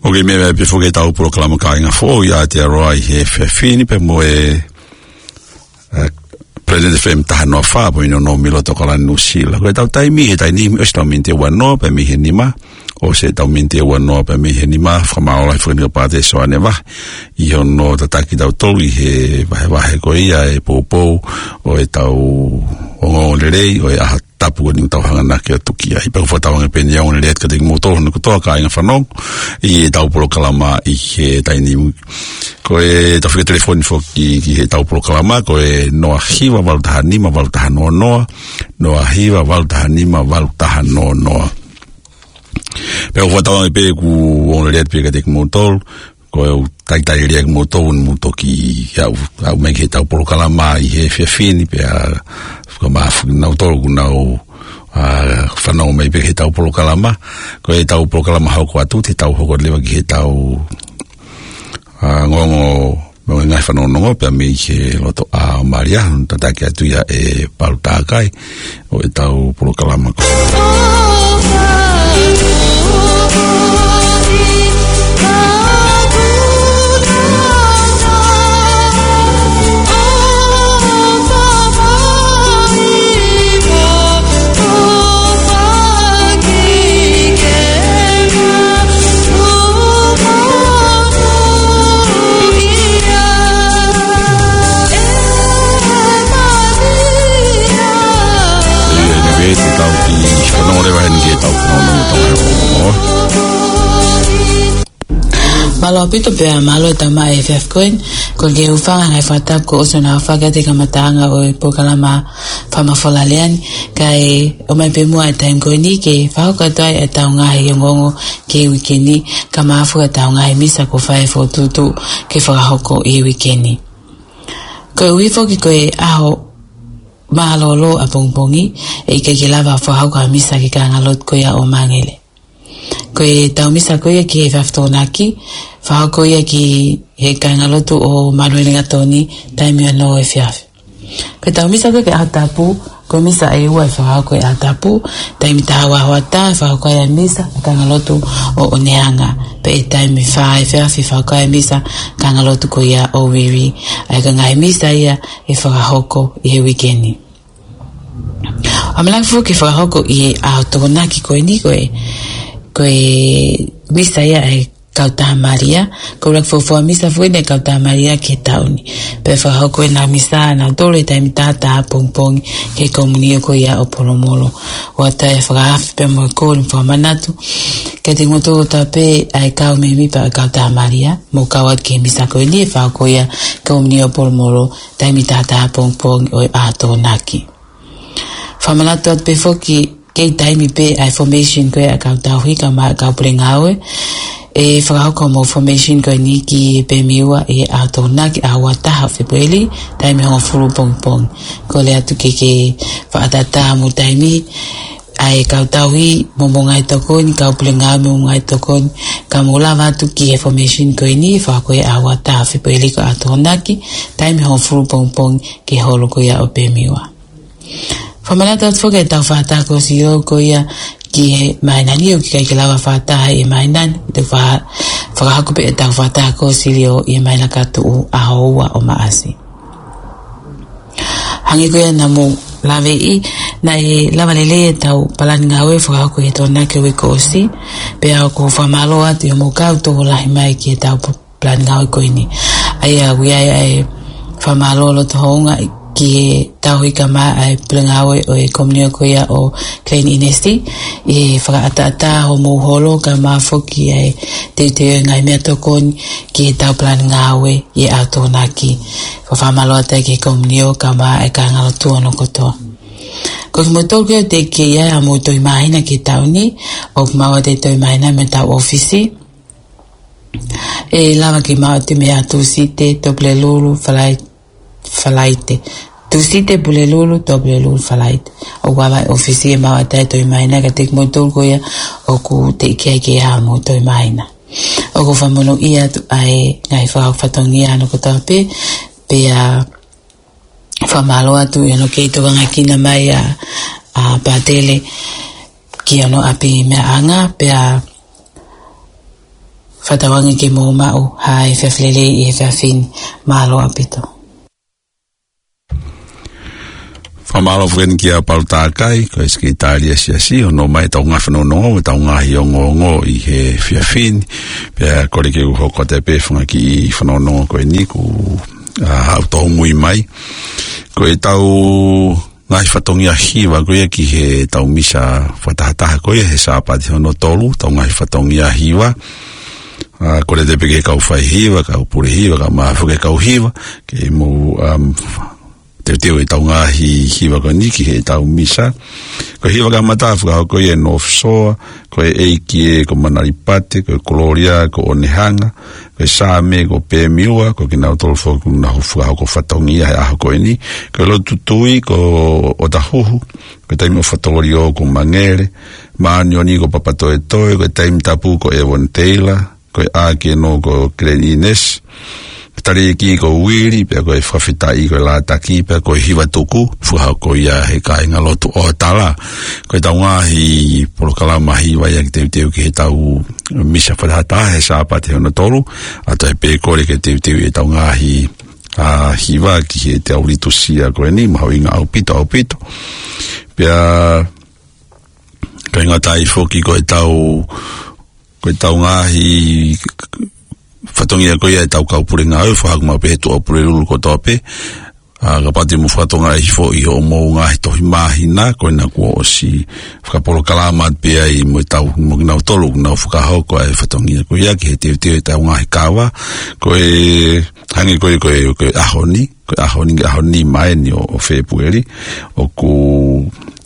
ʻOku meʻa mai pē foki ʻetau polokalama Kāinga Foʻou ʻi Aotearoa ʻi he efiafi ni pea mo e, ē, Planet F M taha noa fā, pea mo e Nonouti ʻi loto ʻAokalani, Nuʻusila. Ko ʻetau taimi he taimi ni, ʻosi ʻetau miniti ʻe ua noa pē mei he nima, ʻosi ʻetau miniti ʻe ua noa pē mei he nima, fakamālō lahi foki kia Pātele Soane Vahe, ʻi hono tataki kitautolu ʻi he vahevahe ko ia ʻo e poupou ʻo ʻetau ongoongolelei ʻo e ʻaho tapu ko eni ʻoku tau hanga ʻo tuki ai. Pea ʻoku fakatauange pē ʻe ongoongolelei atu kiate kimoutolu hono kotoa kāinga fanongo ʻi heʻetau polokalama ʻi he taimi ni. Ko ʻetau fika telefoni foki ki heʻetau polokalama, ko e noa hiva valu taha nima valu taha noa noa, noa hiva valu taha nima valu taha noa noa. Pea ʻoku fakatauange pē ʻoku ongoongolelei atu pē kiate kimoutolu, ko e ʻū talitali lelei kimoutolu ʻoku mou toki aʻu, aʻu mai ki heʻetau polokalama ʻi he efiafi ni pea fakamālō foki kinautolu ʻoku nau, ā, fanongo mai pē ki heʻetau polokalama. Ko ʻetau polokalama hoko atu, te tau hoko leva ki heʻetau, ā, ongoongo mo e ngaahi fanongonongo pea mei he loto ʻa Malia, tataki atu ia ʻe Palu Takai ʻo ʻetau polokalama ko ʻIo, ʻe te tau kiʻi fanongo leva heni ki heʻetau fanongo Tonga ʻo. Mālō ʻaupito pea mālō e tama e F F Coin, ko e ke ufanga ngai fata ko ʻosi ʻo nau fakaʻatā e kamataʻanga ʻo e polokalama Fama Fola Leani, kae ʻomai pē muʻa e taimi ko eni ke fakahoko atu ai ʻetau ngaahi ongoongo ki he uike ni, kae ʻumaʻā foki ʻetau ngaahi misa kuo fai e fokotuʻutuʻu ke fakahoko ʻi he uike ni. Koeʻuhi foki ko e ʻaho mālōlō ʻapongipongi, ʻe ʻikai ke lava fakahoko ha misa ki he kāingalotu ko ia ʻo Māngere. Ko ʻetau misa ko ia ki he efiafi Tokonaki, fakahoko ia ki he kāingalotu ʻo Manuelengatoni, taimi ono efiafi. Ko ʻetau misa ko ia ki he ʻaho tapu, ko e misa ʻe ua ʻe fakahoko he ʻaho tapu, taimi taha ua hoʻatā ʻe fakahoko ai e misa ki he kāingalotu ʻo ʻOneanga. Pea ʻi he taimi fā efiafi ʻe fakahoko ai e misa ki he kāingalotu ko ia ʻo Viri. ʻA ia ko e ngaahi misa ia ʻe fakahoko ʻi he uike ni. ʻOmai leva foki ke fakahoko ʻi he ʻaho Tokonaki ko eni ko e, ko e misa ia ʻa e Kautaha Malia, ko e ʻuluaki fuofua misa foki eni ʻa e Kautaha Malia ki he taʻu ni. Pea fakahoko ʻenau misa ʻanautolu he taimi taha taha ʻapongipongi ki he komiunio ko ia ʻo Polomolo. ʻOatu e fakaafe pea mo e kole mo e fakamanatu kiate kimoutolu kotoa pē ʻa e kau mēmipa ʻo e Kautaha Malia, mou kau atu ki he misa ko eni ʻe fakahoko ia he komiunio ʻo Polomolo, taimi taha taha ʻapongipongi ʻo e ʻaho Tokonaki. Fakamanatu atu pē foki, kei taimi pē ʻa e formation ko ia ʻa e kau tauhi kae ʻumaʻā e kau pule ngāue. ʻE fakahoko hoʻomou formation ko eni ki he pēmiua ʻi he ʻaho Tokonaki, ʻaho ua taha Fēpueli, taimi hongofulu pongipongi. Kole atu ke ke fakaʻataʻatā hoʻomou taimi, ʻa e kau tauhi mo hoʻomou ngaahi tokoni, kau pule ngāue mo hoʻomou ngaahi tokoni, ka mou lava atu ki he formation ko eni, fakahoko he ʻaho ua taha Fēpueli ko e ʻaho Tokonaki, taimi hongofulu pongipongi ki he holo ko ia ʻo pēmiua. Fakamanatu atu foki ʻetau fakataha kosilio ko ia ki he māhina ni, ʻoku ʻikai ke lava fakataha he māhina ni, te u fa-, fakahoko pē ʻetau fakataha kosilio ʻi he māhina ka tuʻu, ʻaho ua ʻo Maʻasi. Hangē ko ia naʻa mou laveʻi, naʻe lava lelei ʻetau palani ngāue fakahoko he Tokonaki uike kuo ʻosi, pea ʻoku ou fakamālō atu ʻi hoʻomou kau tokolahi mai ki heʻetau palani ngāue ko eni. ʻA ia ʻoku ʻi ai ʻa e fakamālō loto houngaʻia ki he tauhi kae ʻumaʻā e pule ngāue ʻo e komiunio ko ia ʻo Klein Inesi, ʻi he fakaʻataʻatā hoʻomou holo kae ʻumaʻā foki ʻa e teuteu e ngaahi meʻatokoni ki heʻetau palani ngāue ʻi he ʻaho Tokonaki. Fakafakamālō atu ki he komiunio kae ʻumaʻā e kāingalotu hono kotoa. Ko kimoutolu ko ia ʻoku teʻeki ai haʻamou toe ʻi māhina ki he taʻu ni, ʻoku maʻu atu e toe ʻi māhina mei heʻetau ʻōfisi. ʻE lava ke maʻu atu mei he Tūsite, Tuʻapulelulu, Falai-, Falaite. Tūsite, Pulelulu, Tuʻapulelulu, Falaite. ʻOku ʻi ai e ʻōfisi ʻe maʻu atu ai e toe ʻi māhina kiate kimoutolu ko ia ʻoku teʻeki ai ke haʻamou toe ʻi māhina. ʻOku ou fakamonūʻia atu ʻa e ngaahi fakafatongia hono kotoa pē, pea fakamālō atu ʻi hono kei tokanga kina mai ʻa, ʻa Pātele ki hono ʻapi meʻaʻanga, pea Fakatauange ke mou maʻu ha efiafi lelei ʻi he efiafi ni. Mālō ʻaupito. Fakamālō foki eni kia Palu Takai, ko e Sekelitali ʻa e Siasi, ʻo ʻomai ʻetau ngaahi fanongonongo, ʻetau ngaahi ongoongo ʻi he efiafi ni. Pea kole ke u hoko atu pē he fanga kiʻi fanongonongo ko eni kuo, ʻa, haʻu tōmui mai. Ko ʻetau ngaahi fatongia hiva ko ia ki heʻetau misa fakatahataha ko ia he Sāpate hono tolu, ʻetau ngaahi fatongia hiva. ʻA, kole atu pē ki he kau faihiva, kau pule hiva, kau mafoke kau hiva, ke mou, um, teuteu ʻetau ngaahi hiva ko eni ki heʻetau misa. Ko e hiva kamata fakahoko ia ʻe North Shore, ko e ʻEiki ē, ko Manalipate, ko e Kololia, ko ʻOnehanga, ko e Saame, ko Pemiua, ko kinautolu foki kuo nau fakahoko fatongia he ʻaho ko eni. Ko e Lotu Tui, ko ʻOtahuhu, ko e Taimi ʻo Fatolio, ko Mangele, Māʻoniʻoni, ko Papatoetoe, ko e Taimi Tapu, ko Evon Taylor, ko e ʻĀkeno, ko Glenn Innes, Taliʻeki ko Uili, pea ko e Fakafetaʻi ko e Lātaki, pea ko e Hiva Tuku, fakahoko ia he kāingalotu ʻo Tala. Ko ʻetau ngaahi polokalama hiva ia ke teuteu ki heʻetau misa fakatahataha he Sāpate hono tolu, ʻa ia pē kole ke teuteu ʻetau ngaahi, ʻa, hiva ki heʻetau litūsia ko eni, mahuʻinga ʻaupito, ʻaupito. Pea, ʻikai ngata ai foki ko ʻetau, ko ʻetau ngaahi fatongia ko ia ʻetau kau pule ngāue, fakahoko maʻu pē he Tuʻapulelulu kotoa pē. ʻA, kapau te mou fakatokangaʻi hifo ʻi hoʻomou ngaahi tohi māhina, ko ena kuo ʻosi fakapolokalama pē ai mo ʻetau, mo kinautolu, kuo nau fakahoko ʻa e fatongia ko ia ki he teuteu ʻetau ngaahi kava. Ko e, hangē ko e, ko e, ko e ʻaho ni, ko e ʻaho ni, ʻaho ni mai ni ʻo, ʻo Fēpueli, ʻoku,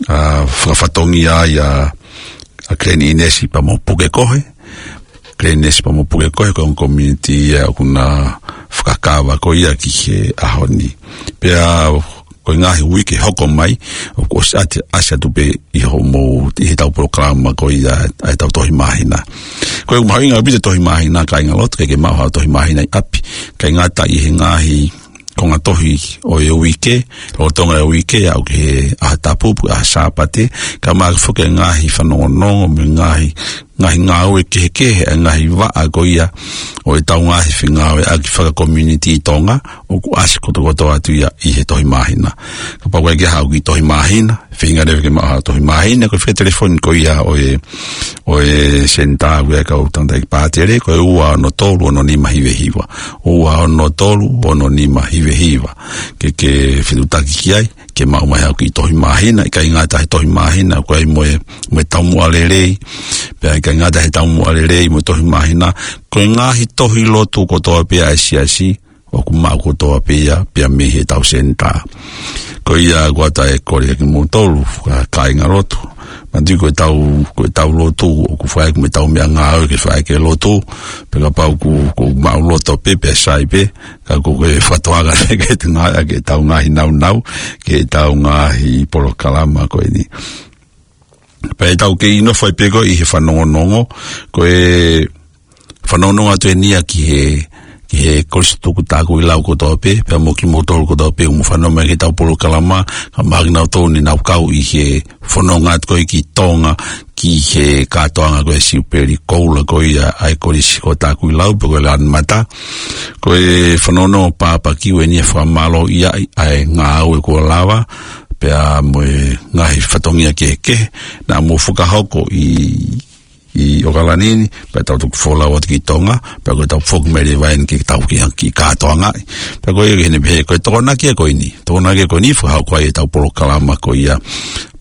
ʻa, fakafatongia ai ʻa, ʻa Glenn Innes pea mo Pukekohe. Glenn Innes pea mo Pukekohe, ko e ongo community ia ʻoku na fakakava ko ia ki he ʻaho ni. Pea ko e ngaahi uike hoko mai, ʻoku ʻosi ʻasi, ʻasi atu pē ʻi hoʻomou, ʻi heʻetau polokalama ko ia ʻa ʻetau tohi māhina. Ko e mahuʻinga ʻaupito e tohi māhina, kāingalotu, ke ke maʻu ha tohi māhina ʻi ʻapi. ʻIkai ngata ʻi he ngaahi konga tohi ʻo e uike, lolotonga e uike, aʻu ki he ʻaho tapu, pe ko e ʻaho Sāpate, kae ʻumaʻā foki e ngaahi fanongonongo, mo e ngaahi, ngaahi ngāue kehekehe, e ngaahi vaʻa ko ia ʻo ʻetau ngaahi fengāueʻaki fakakomiunitī Tonga, ʻoku ʻasi kotokotoa atu ia ʻi he tohi māhina. Kapau ʻoku ʻikai ke haʻu ki he tohi māhina, feinga leva ke maʻu ha tohi māhina, ko e fika telefoni ko ia ʻo e, ʻo e senitā ʻa e kau tangataʻeiki pātele, ko e ua ono tolu ono nima hiva hiva. Ua ono tolu ono nima hiva hiva. Ke, ke fetuʻutaki ki ai, ke maʻu mai haʻo kiʻi tohi māhina, ʻikai ngata he tohi māhina, ko e mo e, mo e taumuʻa lelei, pea ʻikai ngata he taumuʻa lelei, mo e tohi māhina, ko e ngaahi tohi lotu kotoa pē ʻa e siasi, ʻoku maʻu kotoa pē ia, pea mei heʻetau senitā. Ko ia ʻoku ʻatā e kole kiate kimoutolu, ka, kāingalotu. Manatuʻi ko ʻetau, ko ʻetau lotu, ʻoku fai mo ʻetau meʻangāue ke fai ke lotu, pea kapau ʻoku, ʻoku maʻuloto pē, pea sai pē, ka ko e fakatoanga ke te ngā, ke tau ngaahi naunau, ke tau ngaahi polokalama ko eni. Pea ʻe tau kei nofo ai pē ko ē ʻi he fanongonongo, ko e fanongonongo atu eni ia ki he, ki he Kolisi Tuku Takuilau kotoa pē, pea mo kimoutolu kotoa pē, ʻoku mou fanongo mai ki heʻetau polokalama, kae ʻumaʻā kinautolu ne nau kau ʻi he fononga atu ko ē ki Tonga, ki he kātoanga ko ē Siupeli Koula ko ia ʻa e Kolisi ko Takuilau, pe ko e Lanmata. Ko e fanongonongo papakiu eni ia fakamālō ia ʻi he ngāue kuo lava, pea mo e ngaahi fatongia kehekehe, naʻa mou fakahoko ʻi ʻi ʻOkalani ni, pea tau toki folau atu ki Tonga, pea ko ʻetau foki mai leva eni ke tau ki, ki kātoangaʻi. Pea ko ia ke ne pehē, ko e Tokonaki ia ko eni. Tokonaki ia ko eni, fakahoko ai ʻetau polokalama ko ia,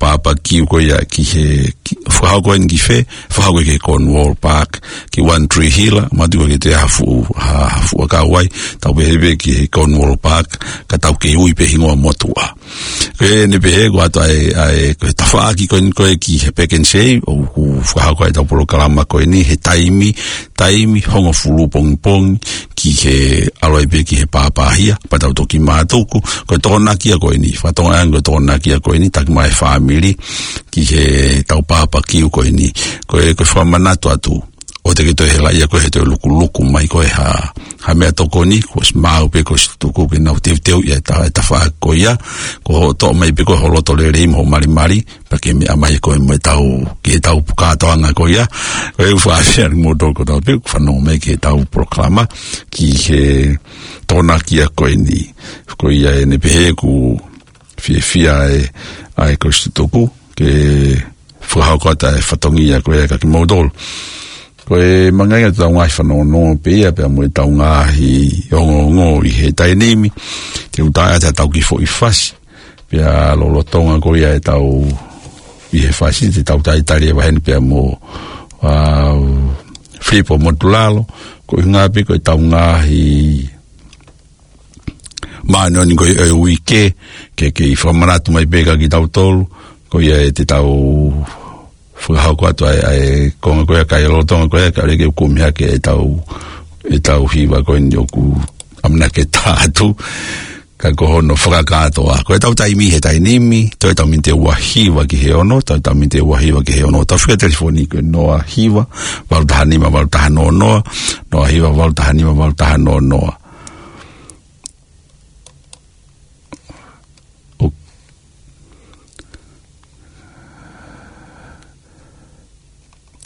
papakiu ko ia ki he, ki, fakahoko eni ki fē, fakahoko ki he Cornwall Park, ki One Tree Hill, manatuʻi ko e te hafu, ha, hafu a kauai, tau pehē pē ki he Cornwall Park, ka tau kei ui pē hingoa motuʻa. Ko eni pē he ko atu ai, ai, ko e tafaʻaki ko eni ko ē ki he Back and Save, ʻoku fakahoko ai ʻetau polokalama ko eni he taimi, taimi hongofulu pongipongi ki he ʻalu ai pē ki he pāpāhia, pea tau toki mātuku, ko e Tokonaki ia ko eni, fatongia ko e Tokonaki ia ko eni, taki mai e fāmili ki heʻetau papakiu ko eni, ko e, ko e fakamanatu atu. ʻoua te ke toe helaʻia koe he toe lukuluku mai koe ha, ha meʻatokoni, kuo ʻosi maʻu pē ko Kositutuku ke nau teuteuʻi ʻa e ta-, ʻa e tafaʻaki ko ia, ko hoʻo toʻo mai pē ko ē ho loto lelei mo ho malimali, pea ke meʻa mai koe mo ʻetau, ki heʻetau kātoanga ko ia. Ko e ʻuhinga ʻeni mo toko tau pē, fanongo mai ki heʻetau polokalama, ki he Tokonaki ko eni. Ko ia ʻeni pē he ʻoku fiefia ʻa e, ʻa e Kositutuku, ke fakahoko atu ʻa e fatongia ko ia kiate kimoutolu. Ko e mangainga ʻetau ngaahi fanongonongo pē ia pea mo ʻetau ngaahi ongoongo ʻi he taimi ni. Te u tā atu ʻetau kiʻi foʻi fasi. Pea lolotonga ko ia ʻetau ʻi he fasi te tau talitali ʻa e vaheni pea mo, ʻa, Filipo Motulalo. Ko e ʻuhinga pē ko ʻetau ngaahi māʻoniʻoni ko ē ʻo e uike, ke, ke fakamanatu mai pē kiate kitautolu, ko ia ʻe te tau fakahoko atu ʻa e, ʻa e konga ko ia, kae lolotonga ko ia, kae ʻoua ke u kumi hake ʻetau, ʻetau hiva ko eni ʻoku ʻamanaki ke tā atu, ka ko hono fakakātoa. Ko ʻetau taimi he taimi ni, toe ʻetau miniti ʻe ua hiva ki he ono, toe ʻetau miniti ʻe ua hiva ki he ono. Tau fika telefoni ko e noa hiva, valu taha nima, valu taha noa noa, noa hiva, valu taha nima, valu taha noa noa. ʻO.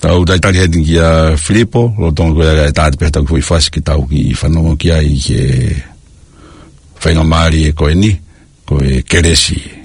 Tau talitali heni kia Filipo, lolotonga ko ia kae tā atu pē ʻetau kiʻi foʻi fasi ke tau kiʻi fanongo ki ai ki he faingamālie ko eni, ko e kelesi.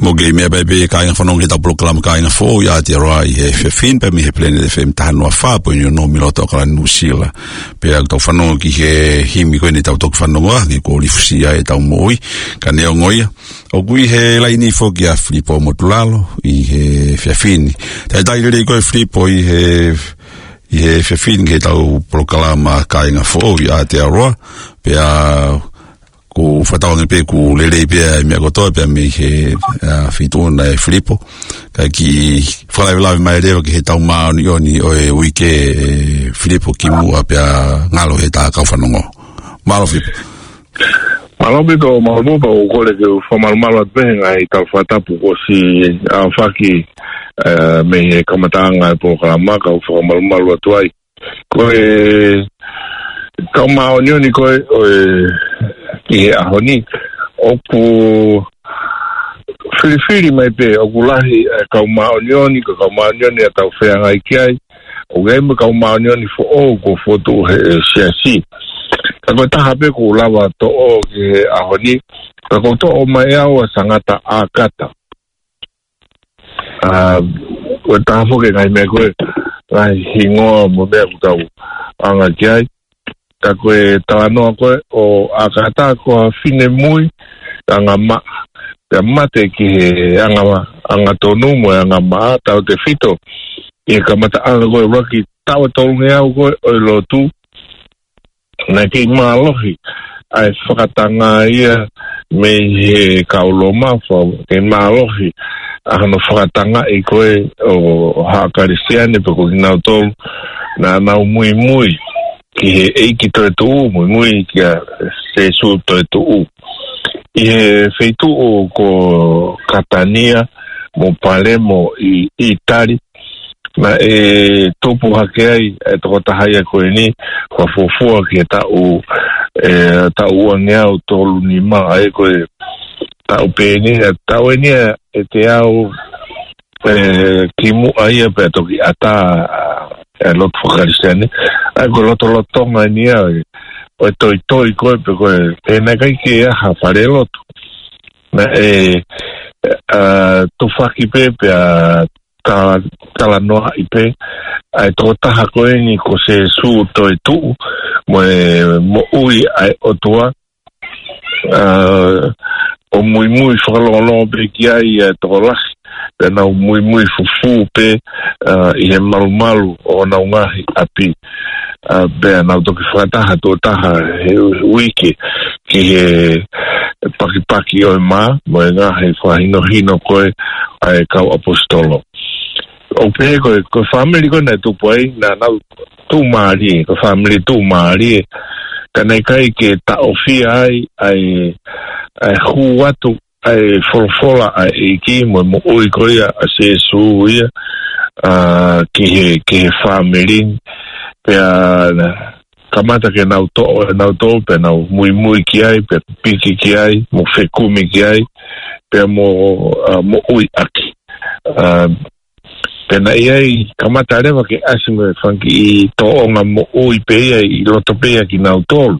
Mou kei meʻa pē pē kāinga fanongo ki heʻetau polokalama Kāinga Foʻou ʻi Aotearoa ʻi he efiafi ni pē mei he Planet F M taha noa fā poini ono mei loto ʻAokalani Nuʻusila. Pea ʻoku tau fanongo ki he himi ko eni ʻetau toki fanongo ʻa e Ko Lifusia ʻEtau Moʻui, ka neongo ia, ʻoku ʻi he laini foki ʻa Filipo Motulalo ʻi he efiafi ni. Talitali lelei koe Filipo ʻi he, ʻi he efiafi ni ki heʻetau polokalama Kāinga Foʻou ʻi Aotearoa, pea ʻoku fakatauange pē ʻoku lelei pē ʻa e meʻa kotoa pē mei he, ʻa, feituʻu na ʻe Filipo. Kae kiʻi fakalavelave mai leva ki heʻetau māʻoniʻoni ʻo e uike ʻe Filipo kimuʻa pea ngalo heʻetau kau fanongo. Mālō Filipo. Mālō ʻaupito, mālō ʻaupito, pea ʻoku ou kole ke u fakamalumalu atu pē he ngaahi tala fakatapu kuo ʻosi aofaki, ē, mei he kamataʻanga e polokalama, ka u fakamalumalu atu ai. Ko e kau māʻoniʻoni ko ē ʻo e, ki he ʻaho ni, ʻoku filifili mai pē, ʻoku lahi e kau māʻoniʻoni, ko e kau māʻoniʻoni ʻa tau feangai ki ai, ʻoku ʻi ai mo e kau māʻoniʻoni foʻou kuo fotu he siasi. Ka ko e taha pē ʻoku ou lava toʻo ki he ʻaho ni, ka ʻoku ou toʻo mai au ʻa Sangata ʻAkata. ʻA, ko e taha foki e ngaahi meʻa ko ē, ngaahi hingoa mo e meʻa ʻoku tau anga ki ai. Ka ko e talanoa ko ē ʻo ʻAkata ko ha finemui, anga maʻa, pea mate ki he anga, angatonu mo e anga maʻa, tautefito ʻi he kamataʻanga ko ē ʻuluaki taʻu ʻe tolungeau ko ē ʻo e lotu. Naʻe kei mālohi ʻa e fakatanga ia mei he kau Loma, fa-, kei mālohi ʻa hono fakatangaʻi ko ē ʻo haʻa Kalisitiane pe ko kinautolu naʻa nau muimui ki he ʻEiki toetuʻu, muimui kia Sēsū toetuʻu. ʻI he feituʻu ko Katania mo Palemo ʻi ʻItali, naʻe tupu hake ai e tokotaha ia ko eni, fakafuofua ki he taʻu, ē, taʻu uangeau tolu nima, ʻa ia ko e taʻu pē eni, ʻa e taʻu eni ʻe teau, ē, kimuʻa ia pea toki ʻatā, ē, lotu faka-Kalisitiane. ʻA ia ko e lotolotonga eni ia ʻo e toitoi ko ē pe ko e, ē, naʻe ʻikai ke ʻi ai ha fale lotu. Naʻe, ē, ʻa, tufaki pē pea ta-, talanoaʻi pē ʻa e tokotaha ko eni ko Sēsū toetuʻu mo e moʻui ʻa e ʻOtua, ʻa, ʻo muimui fakalongolongo pē ki ai ʻa e tokolahi, pea nau muimui fufū pē, ʻa, ʻi he malumalu ʻo honau ngaahi ʻapi. ʻA, pea nau toki fakataha tuʻo taha he uike ki he pakipaki ʻo e mā, mo e ngaahi fakahinohino ko ē ʻa e kau ʻaposetolo. ʻOku pehē ko e, ko e fāmili ko ē naʻe tupu ai, naʻa nau tuʻumālie, ko e fāmili tuʻumālie. Ka naʻe ʻikai ke taʻofia ai ʻa e, ʻa e hū atu ʻa e folofola ʻa e ʻEiki mo e moʻui ko ia ʻa Sēsū ia, ʻa, ki he, ki he fāmili ni. Pea kamata ke nau toʻo ʻe nautolu, pea nau muimui ki ai, pea piki ki ai, mo fekumi ki ai, pea mo, ʻa, moʻui ʻaki. ʻA, pea naʻe ʻi ai, kamata leva ke ʻasi mo e fanga kiʻi tōʻonga moʻui pē ia ʻi loto pē ia kinautolu.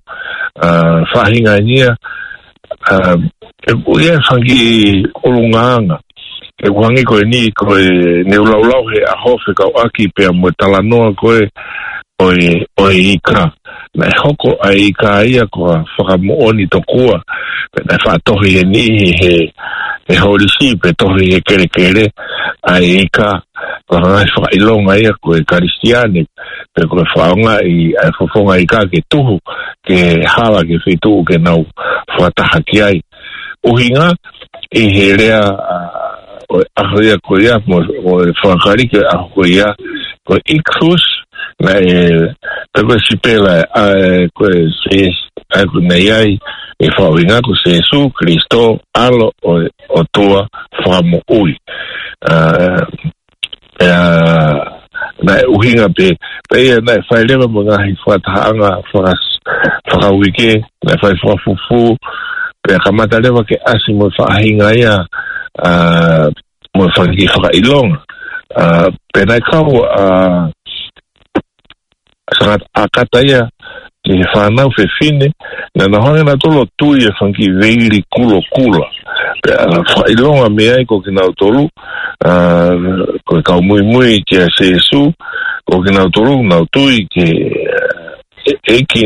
ʻA, faʻahinga eni ia, ʻa, ʻoku ʻi ai e fanga kiʻi ʻulungaanga. ʻOku hangē ko eni ko e, ne u laulau he ʻaho fekauʻaki pea mo e talanoa ko ē ʻo e, ʻo e ika. Naʻe hoko ʻa e ika ia ko ha fakamoʻoni tokua. Pea naʻe faʻa tohi he niʻihi he, he holisi pe tohi he kelekele ʻa e ika. Ko e ngaahi fakaʻilonga ia ko e Kalisitiane, pe ko e fakaʻaongaʻi ʻa e fofonga ika ke tuhu, ke hala ki he feituʻu ke nau fakataha ki ai. ʻUhinga ʻi he lea, ʻa, ʻo e ʻaho ia ko ia, mo, ʻo e fakakaliki ʻo e ʻaho ko ia, ko e ikus, naʻe, pe ko e sipela, ʻa, ko e Sē-, ʻa, ko e naʻe ʻi ai e fakaʻuhinga ko Sēsū Kalisito, ʻAlo ʻo e ʻOtua Fakamoʻui. ʻA, ʻa, naʻe ʻuhinga pē, pea ia naʻe fai leva mo e ngaahi fakatahaʻanga faka-, fakauike, naʻe fai fakafufū, pea kamata leva ke ʻasi mo e faʻahinga ia, ʻa, mo e fanga kiʻi fakaʻilonga. ʻA, pea naʻe kau, ʻa, Sangata ʻAkata ia ki he fānau fefine, naʻa nau hanga nautolu ʻo tui e fanga kiʻi veili kulokula. Pea fakaʻilonga mei ai ko kinautolu, ʻa, ko e kau muimui kia Sēsū, ko kinautolu nau tui ki he, ʻe, ʻEiki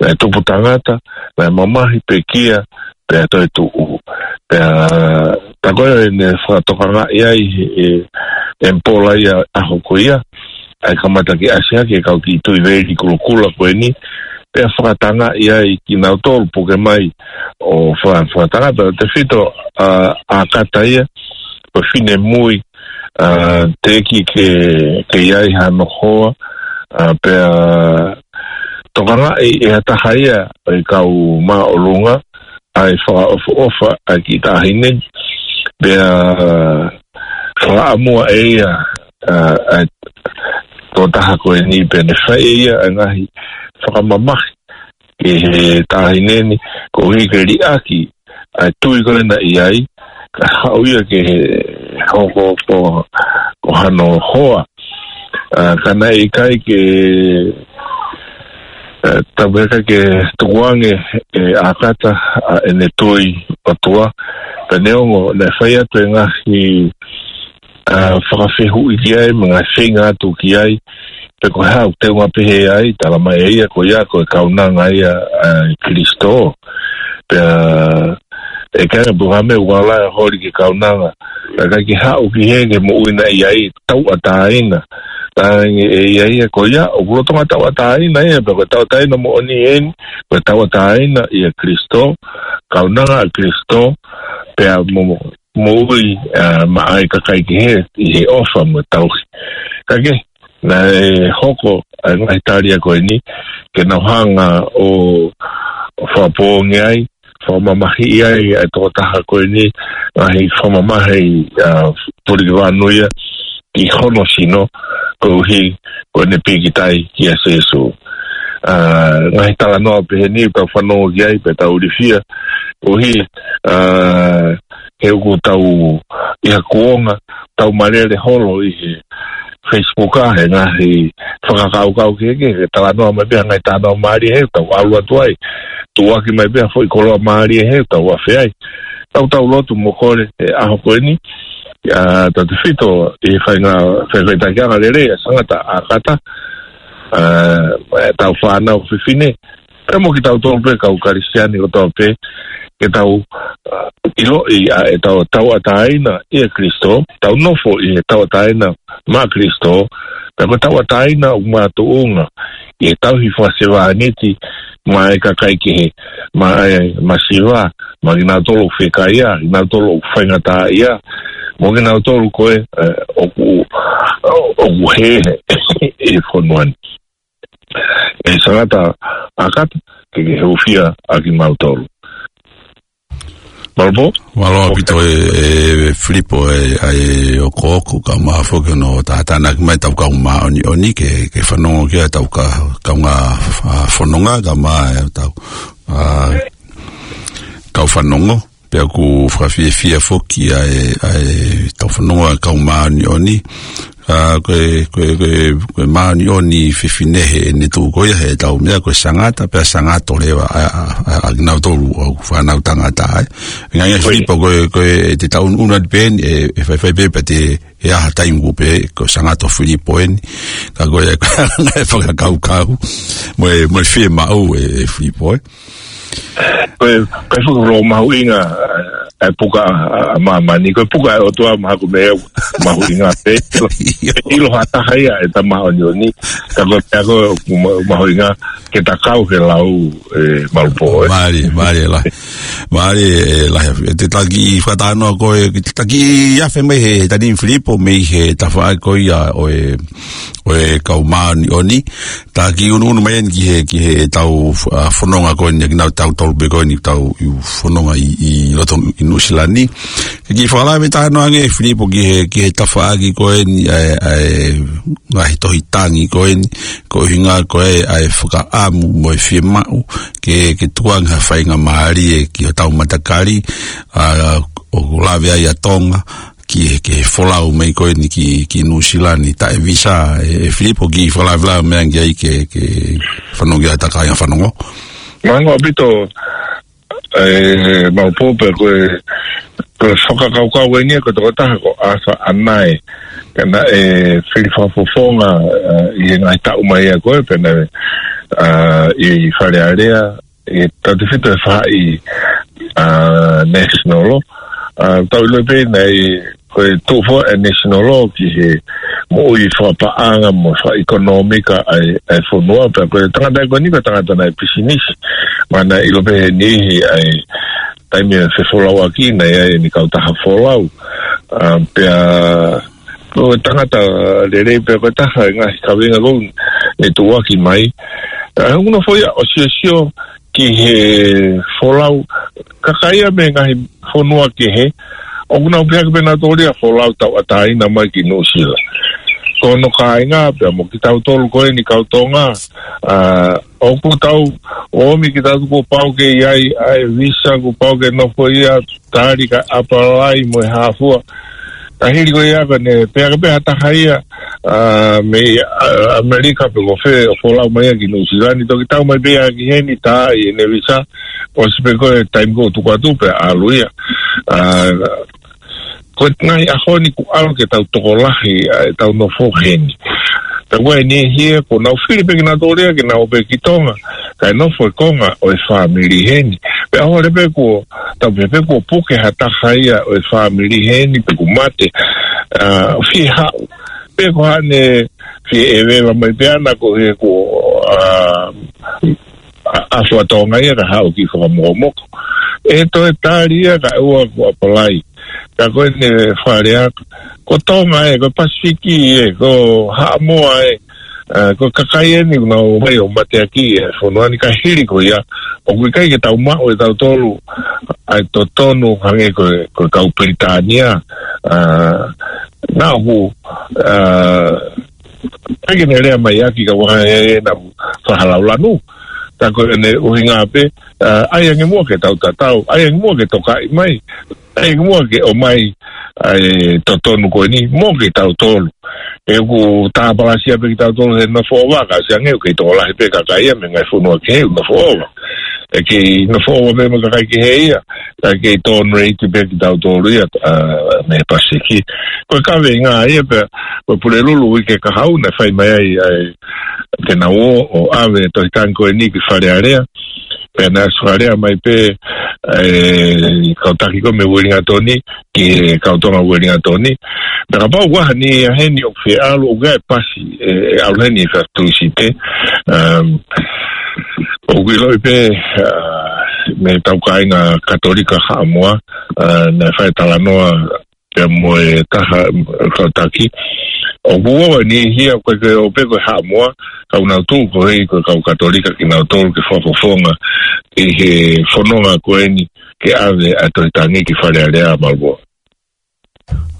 naʻe tupu tangata, naʻe mamahi pekia, pea toetuʻu. Pea, tā ko ē ne fakatokangaʻi ai e, e ʻEmipola ia ʻaho ko ia, ʻa e kamata ke ʻasi hake e kau kiʻi tui veili kulokula ko eni, pea fakatangaʻi ai kinautolu puke mai ʻo fa-, fakatanga, pea tefito, ʻa, ʻAkata ia, ko e finemui, ʻa, teʻeki ke, ke ʻi ai hano hoa, ʻa, pea tokangaʻi ʻe ha taha ia ʻo e kau māʻolunga, ʻa e fakaʻofoʻofa ʻa e kiʻi taʻahine ni. Pea fakaʻamua ʻe ia ʻa, ʻa e tokotaha ko eni, pea ne fai ʻe ia ʻa e ngaahi fakamamahi ki he taʻahine ni, koeʻuhi ke liʻaki ʻa e tui ko ē naʻe ʻi ai, kae haʻu ia ke hoko ko, ko hano hoa. ʻA, ka naʻe ʻikai ke, ʻa, tau pehē ʻikai ke tukuange ʻe ʻAkata ʻa ʻene tui ʻOtua, pea neongo naʻe fai atu e ngaahi, ʻa, fakafehuʻi ki ai, mo e ngaahi feinga atu ki ai, pe ko e hā ʻoku teunga pehē ai, talamai ʻe ia ko ia ko e kaunanga ia ʻa Kilisitō. Pea ʻe ʻikai ke pehē ha meʻa ʻoku ala e holi ki he kaunanga, ka ʻikai ke haʻu ki he, ki he moʻui naʻe ʻi ai, tauʻatāina. Talaange ʻe ia ia ko ia, ʻoku lolotonga tauʻatāina ia, pea ko e tauʻatāina moʻoni eni, ko e tauʻatāina ʻia Kilisitō, kaunanga ʻa Kilisitō, pea mo, mo, moʻui, ʻa, maʻa e kakai kehe ʻi he ʻofa mo e tauhi. Ka ke, naʻe hoko ʻa e ngaahi tali ko eni, ke nau hanga ʻo, ʻo fakapoongi ai, fakamamahiʻi ai ʻa e tokotaha ko eni, ngaahi fakamamahi, ʻa, Tulikivanu ia, ki hono sino, koeʻuhi ko ʻene pīkitai kia Sīsū. ʻA, ngaahi talanoa pehē ni ʻoku tau fanongo ki ai, pea tau ilifia, koeʻuhi, ʻa, he ʻoku tau ʻi ha kuonga, tau malele holo ʻi he Facebook ʻa e ngaahi fakakaukau kehekehe, ke talanoa mai pē ha ngaahi talanoa mālie he tau ʻalu atu ai. Tuʻuaki mai pē ha foʻi koloa mālie he tau afe ai. Tau tau lotu mo kole he ʻaho ko eni, ʻa, tautefito ʻi he fainga, fai, faitakiʻanga lelei ʻa Sangata ʻAkata, ʻa, ʻetau fānau fefine, pea mo kitautolu pē kau Kalisitiane kotoa pē, ke tau, ʻa, ʻiloʻi ʻa ʻetau tauʻatāina ʻia Kilisitō, tau nofo ʻi he tauʻatāina maʻa Kilisitō, pea ko e tauʻatāina ʻoku makatuʻunga ʻi he tauhi fakasevāniti maʻa e kakai kehe, maʻa e masiva, maʻa kinautolu ʻoku fekaia, kinautolu ʻoku faingataʻaʻia, mo kinautolu ko ē, ʻe, ʻoku, ʻoku hē he fonua ni. ʻE Sangata ʻAkata, ke ke hūfia ʻa kimautolu. Mālō Pō? Mālō ʻaupito ē, ē, Filipo, ē, ʻa e okooko kae ʻumaʻā foki hono tātānaki mai ʻetau kau māʻoniʻoni ke, ke fanongo ki ai ʻetau ka-, kaungā, ʻa, fononga kae ʻumaʻā ʻetau, ʻa, kau fanongo. Pea ʻoku fakafiefia foki ʻa e, ʻa ʻetau fanongo ʻa e kau māʻoniʻoni. ʻA, ko e, ko e, ko e, ko e māʻoniʻoni fefine heʻene tuʻu ko ia heʻetau meʻa ko e Sangata, pea Sangato leva ʻa, ʻa, ʻa, ʻa kinautolu ʻoku fānau tangata ai. Ngaahi, ngaahi Filipo ko e, ko e te tau unu atu pē eni, ʻe, ʻe faifai pē pea te, ʻe ʻi ai ha taimi ʻoku pehē ko Sangato Filipo eni. Ka ko e, ko e fakakaukau. Mo e, mo e fiemaʻu ē, ē Filipo ē. Ko e, ko e fuʻu lō mahuʻinga, ʻa e puka ʻa, ʻa māmani, ko e puka ʻa e ʻOtua maha ko me mahuʻinga pē. ʻIlo ha taha ia ʻe ta māʻoniʻoni, ka ko e, ka ko e ma-, mahuʻinga ke ta kau he lau, ē, Mālō Pō, ē. Mālie, mālie lahi. Mālie, ē, lahi. ʻE te taki fakatanoa ko e, te taki afe mai he, he tani Filipo mei he tafaʻaki ko ia ʻo e, ʻo e kau māʻoniʻoni. Ta kiʻi unu unu mai eni ki he, ki heʻetau, ʻa, fononga ko eni, kinautolu pē ko eni, tau ʻi fononga ʻi, ʻi loto ʻi Nuʻusila ni. Ke kiʻi fakalave talanoa ange Filipo ki he, ki he tafaʻaki ko eni, ʻa e, ʻa e ngaahi tohi tangi ko eni, ko e ʻuhinga ko e, ʻa e fakaʻamu mo e fiemaʻu, ke, ke tukuange ha faingamālie ki hotau matakali, ʻa, ʻoku lave ai ʻa Tonga, ki he, ki he folau mai ko eni ki, ki Nuʻusila ni taʻe visa, ē, ē Filipo kiʻi fakalavelave mai ange ai ke, ke fanongo ki ai ʻetau kāinga fanongo. Mālō ʻaupito, ē, Mālō Pō pea ko e, ko e fakakaukau eni ia ko e tokotaha ko Arthur ʻAnae. Pea naʻe fili fakafofonga, ē, ʻi he ngaahi taʻu mai ʻa ko ē, pea naʻe, ʻa, ʻi Fale Alea, ʻi he tautefito ʻe fā ʻi, ʻa, National Law. ʻA, tau ʻilo pē naʻe, ko e tuʻu foki ʻa e National Law ki he moʻui fakapaʻanga mo fakaʻekonōmika ʻa e, ʻa e fonua, pea ko e tangata ko eni ko e tangata naʻe pisinisi. Mo naʻe ʻilo pē he niʻihi ʻa e taimi ʻa e fefolauʻaki naʻe ʻi ai ʻene kautaha folau. ʻA, pea ko e tangata lelei pea ko e taha e ngaahi kaveinga ko ē naʻe tuʻuaki mai. ʻA, ʻoku nofo ia ʻo siosio ki he folau, kakai ia mei he ngaahi fonua kehe, ʻoku nau pehē ʻoku pehē nautolu ia folau tauʻatāina mai ki Nuʻusila. Ko hono kāinga pea mo kitautolu ko eni kau Tonga, ʻa, ʻoku tau ō mai kitautolu kuo pau ke ʻi ai ʻa e visa, kuo pau ke nofo ia, tali kae ʻapalai mo e hā fua. Ka hili ko ia ka ne pehē ʻoku pehē ha taha ia, ʻa, mei, ʻa, ʻAmelika pe ko fē ʻo folau mai ia ki Nuʻusila ni, toki tau mai pē ia ki heni tā ʻi heʻene visa, ʻosi pē ko e taimi ko ē tuku atu pea ʻalu ia. ʻA, ko e ngaahi ʻaho ni kuo ʻalu ke tau tokolahi, ʻa, ʻetau nofo heni. Ka ko e niʻihi ia kuo nau fili pē kinautolu ia ke nau ō pē ki Tonga, kae nofo e konga ʻo e fāmili heni. Pea ʻohovale pē kuo, tau pehē pē kuo puke ha taha ia ʻo e fāmili heni pe kuo mate, ʻa, fie haʻu. Pe ko haʻane fie ʻeveva mai pē ʻana ko e kuo, ʻa, ʻa, ʻa fua Tonga ia ka haʻu ki fakamokomoko. ʻE toe tali ia kae ʻoua kuo ʻapalai. Ka ko eni Fale Alea, ko Tonga ē, ko Pasifiki ē, ko Haʻamoa ē, ʻa, ko e kakai eni ʻoku nau ō mai ʻo mateaki ʻi he fonua ni ka hili ko ia, ʻoku ʻikai ke tau maʻu ʻe tautolu ʻa e totonu hangē ko e, ko e kau Pilitānia, ʻa, naʻa ku, ʻa, ʻikai ke ne lea mai ʻaki ka ʻoku ʻi ai ʻena fakahalaulanu. Ka ko ʻene ʻuhinga pē, ʻa, ʻai ange muʻa ke tau tatau, ʻai ange muʻa ke tokaʻi mai, ʻai ange muʻa ke ʻomai ʻa e totonu ko eni, mo kitautolu. ʻOku tāpalasia pē kitautolu he nofo ʻova, ka ʻosi ange ʻoku kei tokolahi pē kakai ia mei he ngaahi fonua kehe ʻoku nofo ʻova. ʻE kei nofo ʻova pē mo e kakai kehe ia, ka kei tōnounou pē kitautolu ia, ʻa, mei he Pasifiki. Ko e kaveinga ia pē, ko e Pulelulu uike kahaʻu naʻe fai mai ai, ʻa e, te nau ō ʻo ʻave e tohi tangi ko eni ki Fale Alea. Pea naʻe ʻosi fai lea mai pē, ʻe, kau taki ko ē mei Uelingatoni, ki he kau Tonga Uelingatoni. Naʻa kapau ʻoku ʻi ai ha niʻihi ia heni ʻoku fie ʻalu, ʻoku ʻi ai e pasi, ʻe, ʻe ʻalu heni ʻi he Fatu Site. Um, ʻoku ʻiloʻi pē, ʻa, mei he tau kāinga Katolika Haʻamoa, ʻa, naʻe fai talanoa pea mo e taha kau taki. ʻOku ʻi ai e niʻihi ia ko e, ko e ʻo pē ko e Haʻamoa, ka ʻoku nau tuʻu ko ē ko e kau Katolika kinautolu ke fakafofonga ʻi he fononga ko eni ke ʻave ʻa e tohi tangi ki Fale Alea, Malupoa.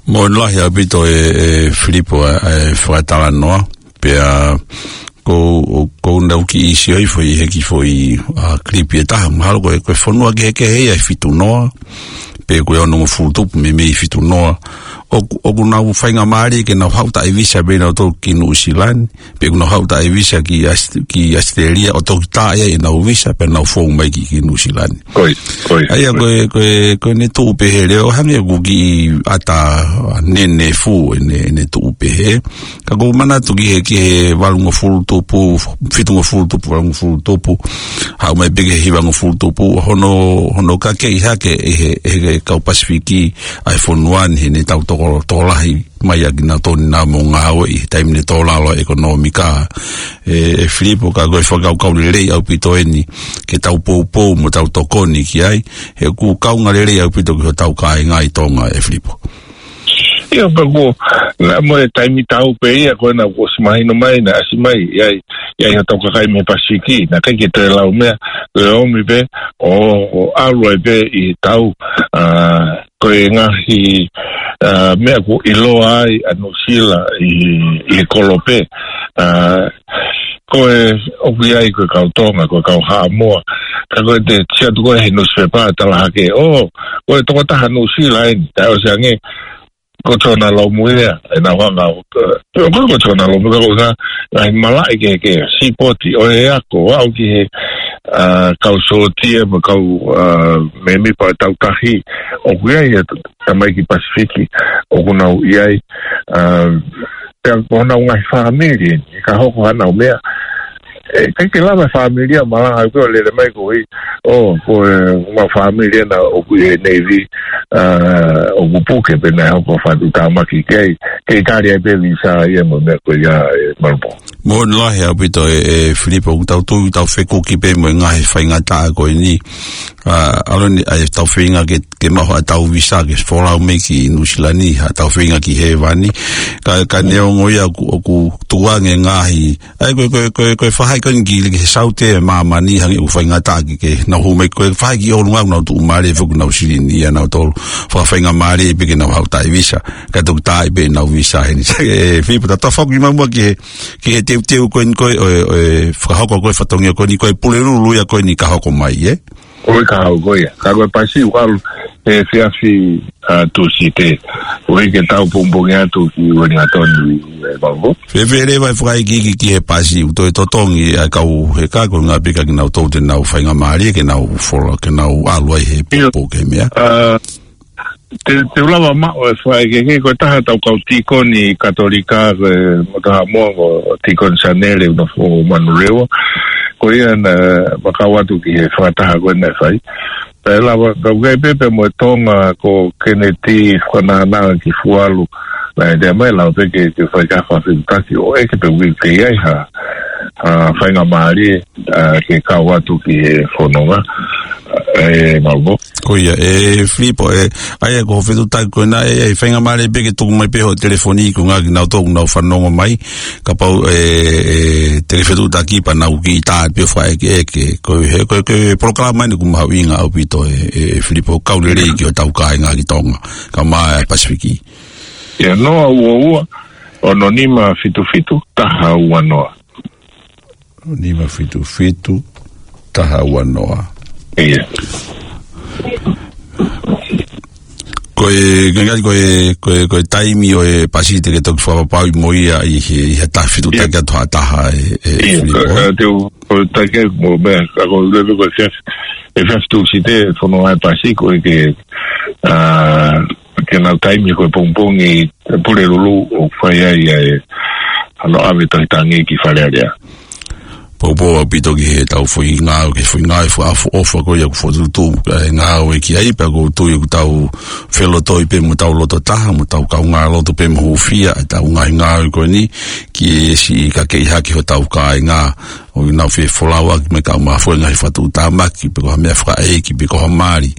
Mālō lahi ʻaupito ʻe, ʻe Filipo ʻa e, ʻa e fakatalanoa. Pea ko, ko ʻeku kiʻi sio hifo ʻi he kiʻi foʻi, ʻa, kilipi ʻe taha, mahalo ko e, ko e fonua kehekehe ia ʻe fitu noa, pe ko e onongofulu tupu, meimei fitu noa. ʻOku, ʻoku nau faingamālie ke nau haʻu taʻe visa pē nautolu ki Nuʻusila ni, pe ʻoku nau haʻu taʻe visa ki ʻAos-, ki ʻAositelēlia, ʻo toki tā ia ʻenau visa, pea nau fou mai ki, ki Nuʻusila ni. Ko ia, ko ia, ʻa ia ko ia. Ko e, ko e, ko ʻene tuʻu pehē leo, hangē ʻoku kiʻi ʻata nene fū ʻene, ʻene tuʻu pehē. Ka ʻoku ou manatu ki he, ki he valungofulu tupu, fitungofulu tupu, valungofulu tupu, haʻu mai pē ki he hivangofulu tupu, hono, hono kakeʻi hake ʻe he, ʻe he kau Pasifiki ʻa e fonua ni heʻene tau toko, tokolahi mai ʻa kinautolu naʻa mo ngāue ʻi he taimi ni tō lalo ʻekonōmika. ʻE, ʻe Filipo, ka ko e fakakaukau lelei ʻaupito eni ke tau poupou mo tau tokoni ki ai, he ʻoku kaunga lelei ʻaupito ki hotau kāinga ʻi Tonga, ʻe Filipo. ʻIo, pea ko, naʻa mo e taimi tau pē ia, ko ena kuo ʻosi mahino mai, naʻe ʻasi mai, ʻi ai, ʻi ai hotau kakai mei Pasifiki, naʻe ʻikai ke toe lau meʻa, ko e ō mai pē, ʻo, ʻo ʻalu ai pē ʻi he tau, ʻa, ko e ngaahi, ʻa, meʻa kuo ʻiloa ai ʻa Nuʻusila ʻi, ʻi he kolope, ʻa, ko e ʻoku ʻi ai ko e kau Tonga, ko e kau Haʻamoa, ka ko e te sio atu ko ē he nusipepa tala hake, ʻo, ko e tokotaha Nuʻusila eni, taʻe ʻosi ange, ko Sione Lomu ia, ʻenau hanga, ʻo, ko, ko Sione Lomu, ka ko e ngaahi malaʻe kehekehe, sipoti ʻo e ako, aʻu ki he, ʻa, kau sōtia, mo e kau, ʻa, mēmipa ʻo e taukahi, ʻoku ʻi ai e tamaiki Pasifiki, ʻoku nau ʻi ai, ʻa, pea ko honau ngaahi fāmili, ʻe ka hoko hanau meʻa, ʻe, ʻikai ke lava fāmili ia malanga ko ē ʻo lele mai ko ē, ʻo, ko e, ʻemau fāmili ena ʻoku ʻi he Navy, ʻa, ʻoku puke pea naʻe hoko fatu tāmaki ki ai, kei tali ai pē visa ia mo e meʻa ko ia, ʻe Malupoa. Moʻoni lahi ʻaupito ʻe, ʻe Filipo, ʻoku tau tui, tau fekuki pē mo e ngaahi faingataʻa ko eni. ʻA, ʻalu eni, ʻa e tau feinga ke, ke maʻu haʻatau visa ke folau mai ki Nuʻusila ni, haʻatau feinga ki hēvani. Ka, ka neongo ia ʻoku, ʻoku tukuange ngaahi. ʻA ia ko e, ko e, ko e, ko e faʻahi ko eni ki, ki he saute ʻo māmani hangē ʻoku faingataʻa ke, ke nau hū mai ko e faʻahi ki ʻolunga ʻoku nau tuʻumālie foki ʻenau silini ʻanautolu. Fakafaingamālie pē ke nau haʻu ʻo tai visa. Ka toki tā ai pē ʻenau visa heni. ʻE Filipo, ta tafoki mai muʻa ki he ki he teuteu ko eni ko e, ʻo e, ʻo e fakahoko ko e fatongia ko eni ko e Pulelulu ia ko eni ka hoko mai, ē? Ko e ka hoko ia. Ka ko e pasi ʻoku ʻalu he efiafi, ʻa, Tūsite. ʻOku ʻikai ke tau pongipongi atu ki Uelingatoni, ē, Malibō. Fēfē leva e fakaikiiki ki he pasi ʻoku toe totongi ʻa e kau heka ko e ngaahi pika ke nau tō te nau faingamālie ke nau folau, ke nau ʻalu ai he Io. Pō ke meʻa. ʻA, Te, te u lava maʻu e fakaʻekeʻeke, ko e taha ʻetau kau tīkoni Katolika, ko e Motu Haʻamoa, ko Tīkoni Sanele, ʻoku nofo Manurewa. Ko ia naʻa ma kau atu ki he fakataha ko ē naʻe fai. Pea lava, kau ʻi ai pē pea mo e Tonga, ko Keneti Fakanānā ki Fualu. Naʻe ʻi ai mai lava pē ke, ke fai ha fakafetuʻutaki ʻo ʻeke pe ʻoku ʻi ai ha, ha faingamālie, ʻa, ke kau atu ki he fononga, ē, Malibō. Ko ia, ʻe Filipo, ʻe, ʻa ia ko hoʻo fetuʻutaki ko ena, ʻe, ʻe faingamālie pē ke tuku mai pē hoʻo telefoni ko e ngaahi kinautolu ʻoku nau fanongo mai, kapau, ʻe, ʻe, te ke fetuʻutaki pea nau kiʻi tā pē ʻo fakaʻekeʻeke, ko e, ko e, ko e polokalama eni ʻoku mahuʻinga ʻaupito ʻe, ʻe, ʻe Filipo, kau lelei ki hotau kāinga ki Tonga, kae ʻumaʻā e Pasifiki. Ia, noa ua ua, ono nima fitu fitu, taha ua noa. Nima fitu fitu, taha ua noa. Ia. Ko e, ko e, ko e, ko e, ko e taimi ʻo e pasi te ke toki fakapapauʻi mo ia ʻi he, ʻi he taha fitu Ia. Taki atu ha taha ʻe, ʻe Ia, Filipo. Ka, ka te u, ko e taki mo mea, ka ko e lele ko e efiafi, efiafi Tūsite, fononga e pasi ko e ke, ʻa, ke nau taimi ko e pongipongi, Pulelulu ʻoku fai ai ʻa e, ʻa e ʻave Tohi Tangi ki Fale Alea. Poupou ʻaupito ki heʻetau foʻi ngāue, ki he foʻi ngāue fakaʻofoʻofa ko ia ʻoku fokotuʻutuʻu, ʻa e ngāue ki ai pea ʻoku ou tui ʻoku tau felotoi pē mo tau loto taha, mo tau kaungā loto pē mo hūfia, ʻetau ngaahi ngāue ko eni, ki he siʻi kakeʻi hake hotau kāinga, ʻoku nau fie folau ʻaki mai ka ʻumaʻā foʻi ngaahi fakatuʻutāmaki, pe ko ha meʻa fakaʻeiki, pe ko ha mali,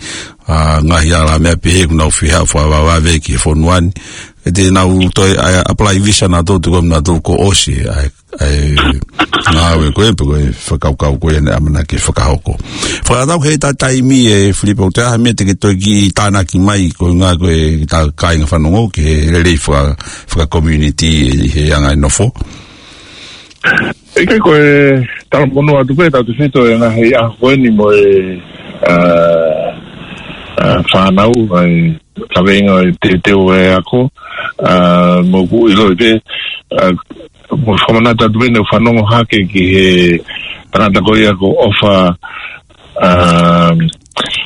ʻa, ngaahi ala meʻa pehē ʻoku nau fie haʻu fakavavevave ki he fonua ni. ʻE te nau toe, ʻa, apply visa naʻa tau tuku naʻa tau kuo ʻosi, ʻa, ʻa, ngāue ko ē, pe ko e fakakaukau ko ē naʻe ʻamanaki ke fakahoko. Fakatau ki he ta taimi ʻe Filipo, ʻoku ʻi ai ha meʻa te ke toe kiʻi tānaki mai, ko e ngaahi ko e ta kāinga fanongo, ki he lelei faka, faka community ʻi he anga e nofo. ʻIkai ko e talamonū atu pē tautefito ʻi he ngaahi ʻaho ko eni mo e, ʻa, ʻa, fānau, ʻa e kaveinga ʻo e teuteu ʻa e ako, ʻa, mo ʻoku ʻiloʻi pē, ʻa, mo fakamanatu atu pē naʻe fanongo hake ki he tangata ko ia ko ʻOfa, ʻa,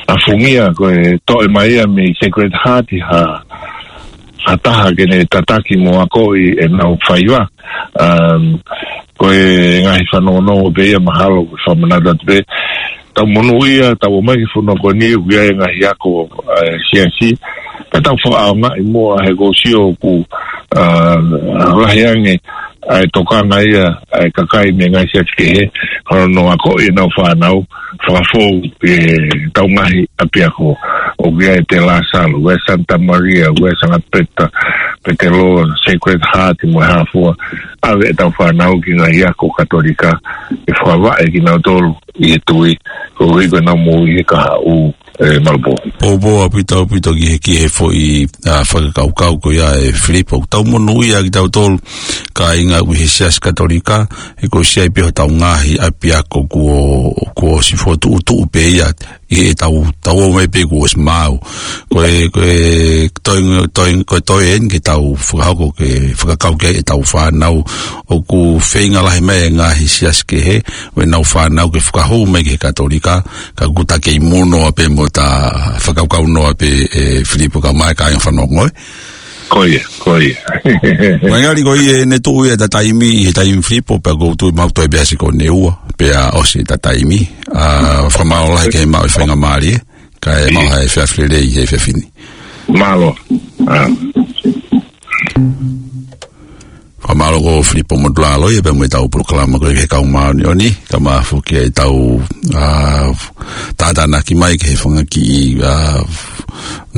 ʻa Fungia ko e toʻo mai ia mei Sacred Heart ha, ha taha ke ne tataki mo akoʻi ʻenau faiva. Um, ko e ngaahi fanongonongo pē ia mahalo ko e fakamanatu atu pē. Tau monūʻia, tau ō mai ki he fonua ko eni ʻoku ʻi ai e ngaahi ako, ʻa e siasi. Pea tau fakaʻaongaʻi muʻa he ʻoku ou sio ʻoku, ʻa, lahi ange ʻa e tokanga ia ʻa e kakai mei he ngaahi siasi kehe, hono akoʻi ʻenau fānau, fakafou ʻi heʻetau ngaahi ʻapiako, ʻoku ʻi ai e Te Lasalu, ʻoku ʻi ai e Santa Maria, ʻoku ʻi ai e Sangapeta, Petelō, Sacred Heart, mo e hā fua, ʻave ʻetau fānau ki he ngaahi ako Katolika, ke fakavaʻe kinautolu ʻi he tui, koeʻuhi ko ʻenau moʻui he kahaʻu, ʻe Malibō. Poupou ʻaupito, ʻaupito ki he, ki he foʻi, ʻa, fakakaukau ko ia ʻe Filipo. Tau monūʻia kitautolu, kāinga ʻi he Siasi Katolika, he kuo ʻosi ʻi ai pē hotau ngaahi ʻapiako kuo, kuo ʻosi fokotuʻutuʻu pē ia, ʻi heʻetau, tau ō mai pē kuo ʻosi maau. Ko e, ko e toe, toe, ko e toe eni ke tau fakahoko ke fakakau ki ai ʻetau fānau. ʻOku feinga lahi mai e ngaahi siasi kehe, ʻo ʻenau fānau ke fakahū mai ki he Katolika, ka ʻoku ta kei mou noa pē mo ta fakakaukau noa pē ʻe Filipo kae ʻumaʻā e kāinga fanongo, ē? Ko ia, ko ia. Mai ngali ko ia ʻene tuʻu ia ta taimi, he taimi Filipo, pea ʻoku ou tui mau toe pē ʻasi ko eni ua, pea ʻosi ta taimi. ʻA, fakamālō lahi ke maʻu e faingamālie, kae maʻu ha efiafi lelei he efiafi ni. Mālō. ʻA. Fakamālō Mālō ko Filipo Motulalo ia pea mo ʻetau polokalama ko e Kau Māʻoniʻoni, kae ʻumaʻā foki ʻetau, ā, tātānaki mai ki he fanga kiʻi, ā,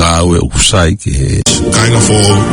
ngāue ʻoku sai ki he kāinga foʻou.